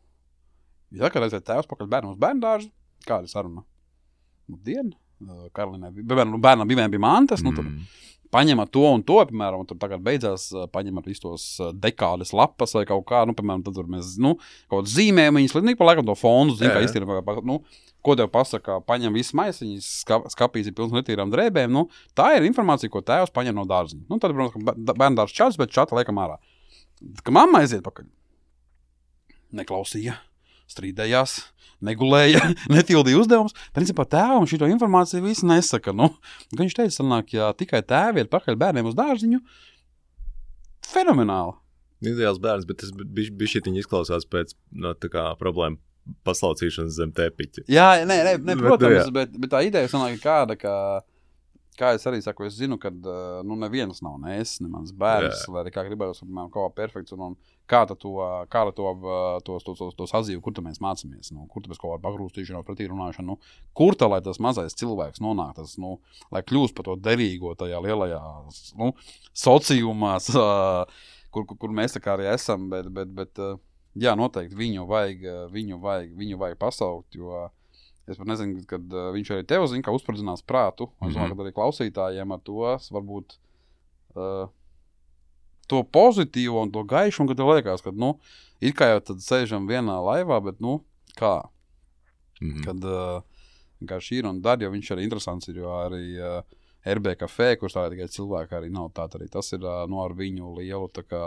Ja kādreiz ir tēvs pakaļ bērnam uz bērnu dārza, kāda ir saruna? Nu, diena, Karolinai, bērnam, bērnam bija mantas, mm. nu, tad paņemat to un to, piemēram, un tad tagad beidzās paņemat visu tos dekādes lapas vai kaut kā, nu, piemēram, tad tur mēs, nu, kaut kāds zīmējumiņas, līdz pa laikam to fondu, zin, kā iztīrām, nu, ko tev pasaka, paņem visu maisiņas, skap, skapīs ir pilns netīrām drēbēm, nu, tā ir informācija, ko tēvs paņem no dārziņa. Nu, tad, protams, bērnu dārs čats, bet čata liekam ārā. Ka mamma aiziet pakaļ. Neklausīja. strīdējās, negulēja, netildīja uzdevumus. Principā tēvam šito informāciju visi nesaka. Nu, viņš teica, sanāk, ja tikai tēvi ir pakaļ bērniem uz dārziņu, fenomenāli. Ideāls bērns, bet tas bišķiņi izklausās pēc no, tā kā problēma paslaucīšanas zem tepiķa. Jā, nē, nē, nē protams, bet, bet, bet tā ideja sanāk kāda, ka kā es arī saku, es zinu, ka nu, neviens nav ne es, ne mans bērns, jā. Lai arī kā gribējos, piemēram, kaut kā perfekts, un, un kā to, kā to, tos, tos, tos, tos atzīvu, kur tu mēs mācāmies, nu, kur tu mēs kaut kādu pagrūstīšanos, pretī runāšanu, nu, kur tā, lai tas mazais cilvēks nonāk, tas, nu, lai kļūst par to derīgo tajā lielajā, nu, sociumās, kur, kur, kur mēs tā kā arī esam, bet, bet, bet jā, noteikti viņu vajag, viņu vajag, viņu vajag pasaukt, jo es pat nezinu, kad uh, viņš arī tev zina, kā uzspridzinās prātu. Es domāju, ka arī klausītājiem ar to varbūt uh, to pozitīvo un to gaišu, un kad tev liekas, ka, nu, it kā jau tad sēžam vienā laivā, bet, nu, kā? Mm-hmm. Kad, uh, kā šī ir un dar, jo viņš arī interesants ir, jo arī uh, R B Café, kurš tā tikai cilvēki arī nav tā, arī tas ir, uh, nu, ar viņu lielu, tā kā,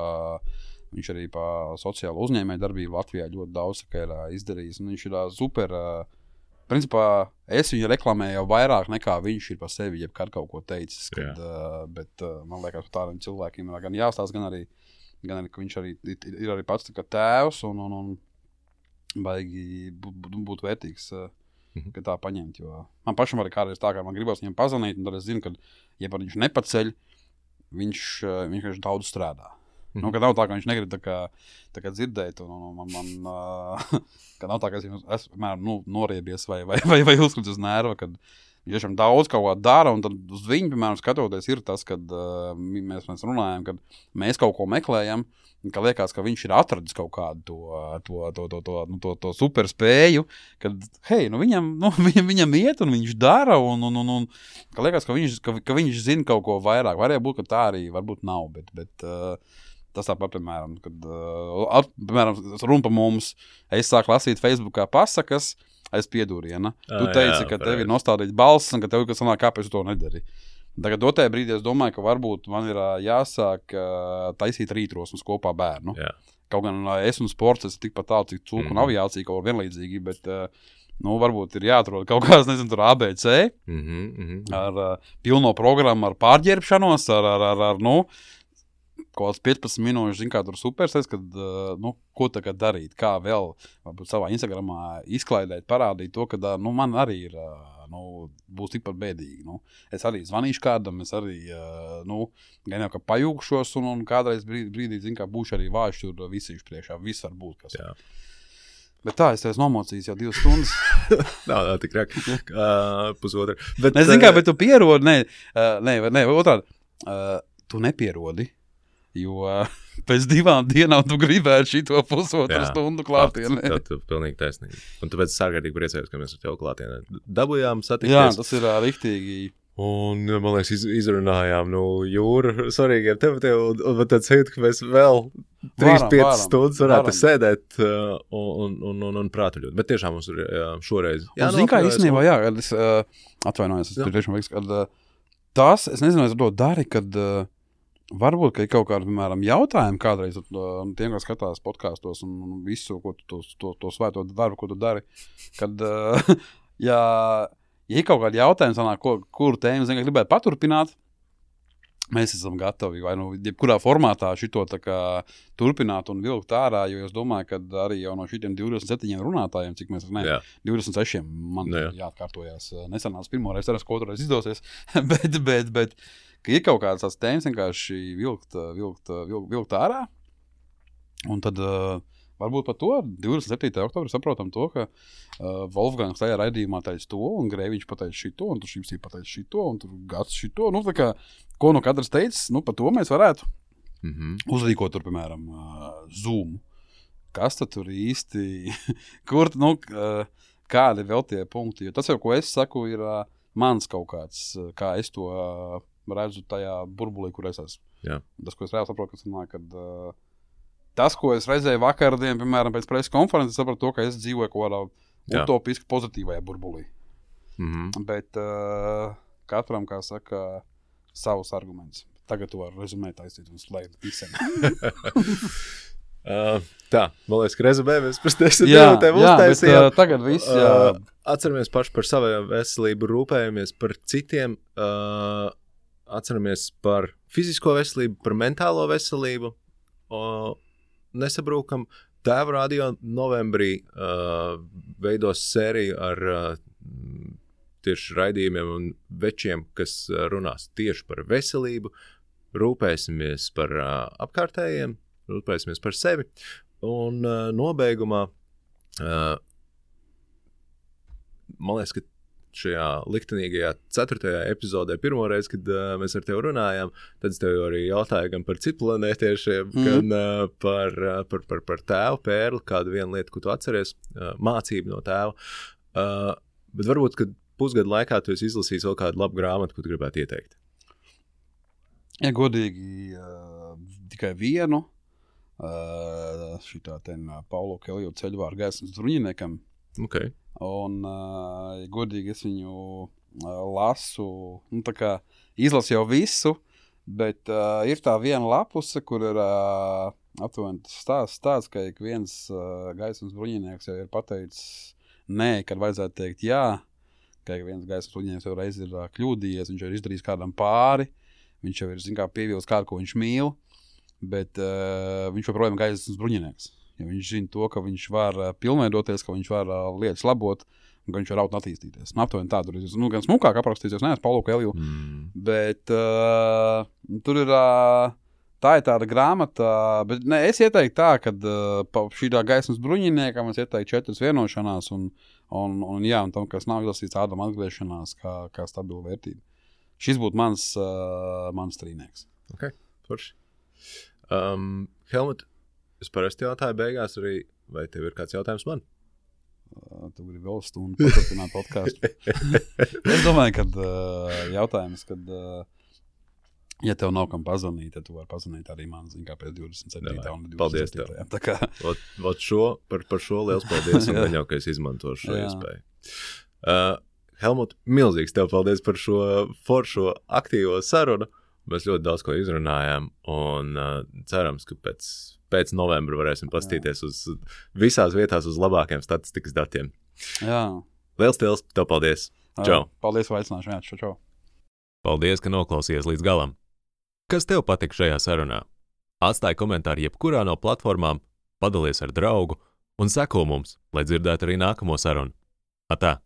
viņš arī pa sociālo uzņēmēju darbību Latvijā ļoti daudz, ka ir uh, izdarījis, un viņš ir uh, super, uh, principā, es viņu reklamēju jau vairāk nekā viņš ir par sevi, jebkad kaut ko teicis, kad, uh, bet uh, man liekas, par tādiem cilvēkiem ir gan jāstāst, gan arī, gan arī, ka viņš arī ir arī pats tā kā tēvs un, un, un baigi būt, būt vērtīgs, uh, mm-hmm. ka tā paņemt, jo man pašam arī kādreiz tā, ka man gribas viņam pazvanīt, un tad es zinu, ka, ja par viņš nepaceļ, viņš, uh, viņš daudz strādā. Nu, ka nav tā, ka viņš negrib tā kā, tā kā dzirdēt, un, un man, man uh, ka nav tā, ka es esmu, nu, noriebies vai, vai, vai, vai uzskats uz nerva, kad viņš tiešām daudz kaut ko dara, un tad uz viņu, piemēram, skatoties ir tas, kad uh, mēs, mēs runājam, kad mēs kaut ko meklējam, ka liekas, ka viņš ir atradis kaut kādu to, to, to, to, to, nu, to, to super spēju, kad, hei, nu viņam, nu, viņam, viņam iet, un viņš dara, un, un, un, un ka liekas, ka viņš, ka, ka viņš zina kaut ko vairāk. Varēja būt, ka tā arī varbūt nav, bet, bet uh, tas tāpat, piemēram, kad, uh, at, piemēram, runa pa mums, es sāku lasīt Facebookā pasakas, aiz piedūriena. Tu teici, jā, ka tev ir nostādīts balss un ka tev, kas sanāk, kāpēc tu to nedari. Tagad dotajā brīdī es domāju, ka varbūt man ir uh, jāsāk uh, taisīt rītrosmas kopā bērnu. Jā. Kaut gan uh, es un sports, es tikpat tālu, cik cūku mm. un aviācija kaut vienlīdzīgi, bet, uh, nu, varbūt ir jāatrod kaut kāds, nezinu, tur A B C, mm-hmm, mm-hmm. ar uh, pilno programmu, ar pārģērbšanos, ar, ar, ar, ar nu, kaut kāds piecpadsmit minūšu, zin kā tur supersēs, kad, uh, nu, ko tagad darīt, kā vēl, varbūt savā Instagramā izklaidēt, parādīt to, ka, uh, nu, man arī ir, uh, nu, būs tikpat bēdīgi, nu, es arī zvanīšu kādam, es arī, uh, nu, gan jau, ka pajūkšos, un, un kādreiz brīdī, brīdī, zin kā, būšu arī vājuši tur visīšu priekšā, viss var būt, kas. Jā. Bet tā, es tev esmu nomocījis jau divas stundas. nav, nav tik rāk, uh, pusotra. Bet, ne, zin kā, bet tu pierodi, ne, uh, ne, ne, otrādi, uh, tu nepierodi. Jo uh, pēc divām dienām tu gribētu šito pusotru stundu klātienē. Jā, tad tu pilnīgi taisnīgi. Un tāpēc es ārkārtīgi priecājos, ka mēs ar tevi klātienē dabujām satikties. Jā, tas ir uh, riktīgi. Un, man liekas, iz, izrunājām, nu, jūru svarīgiem tematiem, un, un man tad sajūta, ka mēs vēl trīs piecas stundas varētu varam. sēdēt uh, un, un, un, un prātuļot. Bet tiešām mums ir jā, šoreiz. Jā, un zin kā īstenībā, jā, kad es uh, atvainojos, es tur tiešām liekas, kad uh, tas, es nezinu, es to dari, kad uh, varbūt, ka ir kaut kādi, piemēram, jautājumi kādreiz uh, tiem, kas skatās podkastos un, un visu, ko tu to, to, to svēto darbu, ko tu dari, kad, uh, ja, ja ir kaut kādi jautājumi, sanāk, ko, kuru tēmu, zin, ka gribētu paturpināt, mēs esam gatavi, vai nu, jebkurā formātā šito tā kā turpināt un vilkt ārā, jo es domāju, ka arī jau no šitiem divdesmit septiņiem runātājiem, cik mēs, ne, Jā. divdesmit sešiem man Jā. jāatkārtojās, nesanās pirmoreiz, ceras, ko otrais izdosies, bet, bet, bet, ka ir kaut kādas tās tēmas vienkārši vilkt, vilkt, vilkt, vilkt ārā, un tad uh, varbūt par to divdesmit septītā oktobrī saprotam to, ka uh, Wolfgangs tajā raidījumā teica to, un Grēviņš pateica šito, un tur Šipsī pateica šito, un tur Gats šito, nu tā kā, ko nu katrs teicis, nu par to mēs varētu mm-hmm. uzrīkot tur, piemēram, uh, Zoom. Kas tad tur īsti, kur, nu, uh, kādi vēl tie punkti, jo tas jau, ko es saku, ir uh, mans kaut kāds, uh, kā es to uh, redzu tajā burbulī, kur es esmu. Jā. Tas, ko es reāli saprotu, kas nāk, kad uh, tas, ko es redzēju vakardien, piemēram, pēc preses konferences, sapratu to, ka es dzīvoju kaut kādā utopiski pozitīvajā burbulī. Mm-hmm. Bet uh, katram, kā saka, savus argumentus. Tagad tu vari rezumēt, aizcīt un slēgt visiem. Uh, tā, man liekas, ka rezumējamies par desmit Jā, minūtēm jā, bet uztaisījām. uh, tagad viss, jā. Uh, atceramies paši par savām veselību, rūpējamies par citiem, uh, atceramies par fizisko veselību, par mentālo veselību, uh, nesabrūkam. Tēva radio novembrī uh, veidos sēriju ar uh, tieši raidījumiem un večiem, kas uh, runās tieši par veselību, rūpēsimies par uh, apkārtējiem, rūpēsimies par sevi. Un uh, nobeigumā, uh, man liekas, ka šajā liktenīgajā ceturtajā epizodē pirmo reizi, kad uh, mēs ar tevi runājām, tad es tev arī jautāju gan par citplanētiešiem, mm. gan uh, par, uh, par, par, par tēvu pērli, kādu vienu lietu, ko tu atceries, uh, mācību no tēva. Uh, bet varbūt, kad pusgadu laikā tu esi izlasījis vēl kādu labu grāmatu, ko tu gribētu ieteikt. Ja godīgi uh, tikai vienu, uh, šitā ten uh, Paulo Coelho ceļvāru gaismas bruņiniekam. Okay. Un, uh, ja godīgi, es viņu uh, lasu, nu tā kā izlasu jau visu, bet uh, ir tā viena lapuse, kur ir uh, aptuveni stāsts tāds, ka ik viens uh, gaismas bruņinieks jau ir pateicis nē, kad vajadzētu teikt jā, ka ik viens gaismas bruņinieks jau reiz ir uh, kļūdījies, viņš jau ir izdarījis kādam pāri, viņš jau ir, zin kā, pievilcis kādu, ko viņš mīl, bet uh, viņš joprojām ir gaismas bruņinieks. Ja viņš zina to, ka viņš var uh, pilnveidoties, ka viņš var uh, lietas labot, un ka viņš var raut un attīstīties. Nu, aptuveni tā, tur ir nu, gan smukāk aprakstīts, es neesmu Paulo Coelho, mm. bet uh, tur ir, uh, tā ir tāda grāmata, bet ne, es ieteiktu tā, ka uh, šī tā gaismas bruņiniekam es ieteiktu četras vienošanās, un, un, un jā, un tam, kas nav izlasīts tādam atgriešanās, kā, kā stabila vērtība. Šis būtu mans, uh, mans trīnieks. Ok, forši. Um, Helmut, es parasti jautāju beigās arī, vai tev ir kāds jautājums man? Uh, tu gribi vēl stundu paturpināt podcastu. Es domāju, ka uh, jautājums, kad, uh, ja tev nav kam pazvanīt, tad tu vari pazvanīt arī man, zin kā pēc divdesmit septītā un divdesmit septītā. Paldies tev. Tā kā... Ot, ot šo, par, par šo liels paldies, un gan jau, ka es izmantošu šo iespēju. Uh, Helmut, milzīgs tev paldies par šo foršo aktīvo sarunu. Mēs ļoti daudz ko izrunājām, un uh, cerams, ka pēc, pēc novembra varēsim pastīties uz visās vietās uz labākiem statistikas datiem. Jā. Liels tev, tev paldies. Čau. Paldies, vai aicināšu. Jā, čau, čau. Paldies, ka noklausījies līdz galam. Kas tev patika šajā sarunā? Atstāj komentāru jebkurā no platformām, padalies ar draugu un seko mums, lai dzirdētu arī nākamo sarunu. Atā!